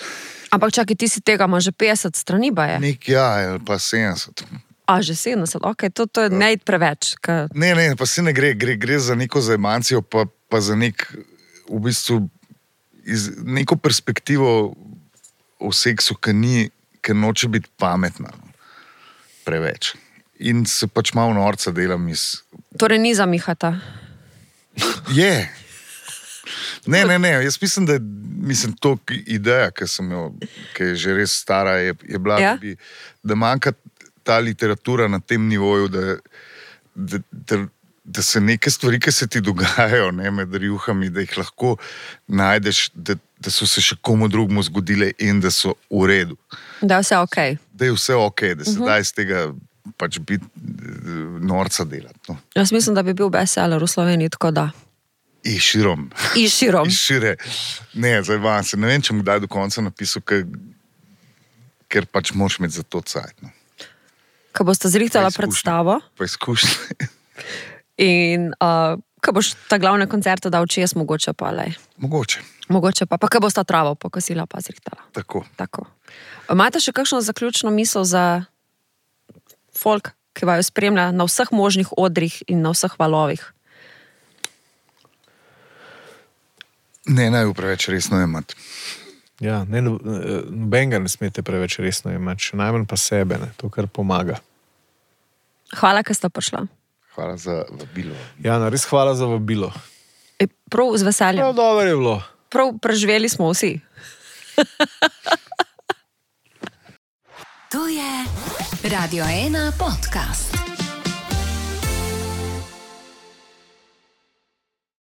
Ampak čakaj, ti si tega, ima že petdeset strani, ba je? Nek ja, ali pa sedemdeset. A, že sedemdeset, ok, to, to je ne iti preveč. Ka... Ne, ne, pa se ne gre, gre, gre za neko zajmancijo, pa, pa za nek, v bistvu, iz, neko perspektivo o seksu, ki ni, ki noče biti pametna. No. Preveč. In se pač malo norca delam iz. Torej, ni za Mihata. Je. Ne, ne, ne, jaz mislim, da je mislim, to ideja, ki sem jo, ki je že res stara, je, je bila, Ja? da, bi, da manjka ta literatura na tem nivoju, da, da, da, da se neke stvari, ki se ti dogajajo, ne, med rjuhami, da jih lahko najdeš, da, da so se še komu drugemu zgodile in da so v redu. Da je vse ok. Da je vse ok, da se uh -huh. da iz tega pač biti norca delati. No. Jaz mislim, da bi bil bestseller v Sloveniji, tako da. In širom. In širom. In šire. Ne, zdaj vam se ne vem, če bom kdaj do konca napisal, ker, ker pač moraš imeti za to cajt. No. Ko boste zrihtala Pa izkušnje. predstavo Pa izkušnje. in uh, ko boš ta glavne koncerte dal čez, mogoče pa lej. Mogoče. Mogoče pa, pa ko bosta travo pokosila, pa zrihtala. Tako. Tako. Imate še kakšno zaključno misel za folk, ki vaju spremlja na vseh možnih odrih in na vseh valovih? Ne, naj jo preveč resno jemati. Ja, ne, nobenega ne smete preveč resno imeti, še najmanj pa sebe, ne, to, kar pomaga. Hvala, ker ste prišla. Hvala za vabilo. Ja, no, res hvala za vabilo. E, prav z veseljem. Prav dobro je bilo. Prav preživeli smo vsi. To je Radio ena podcast.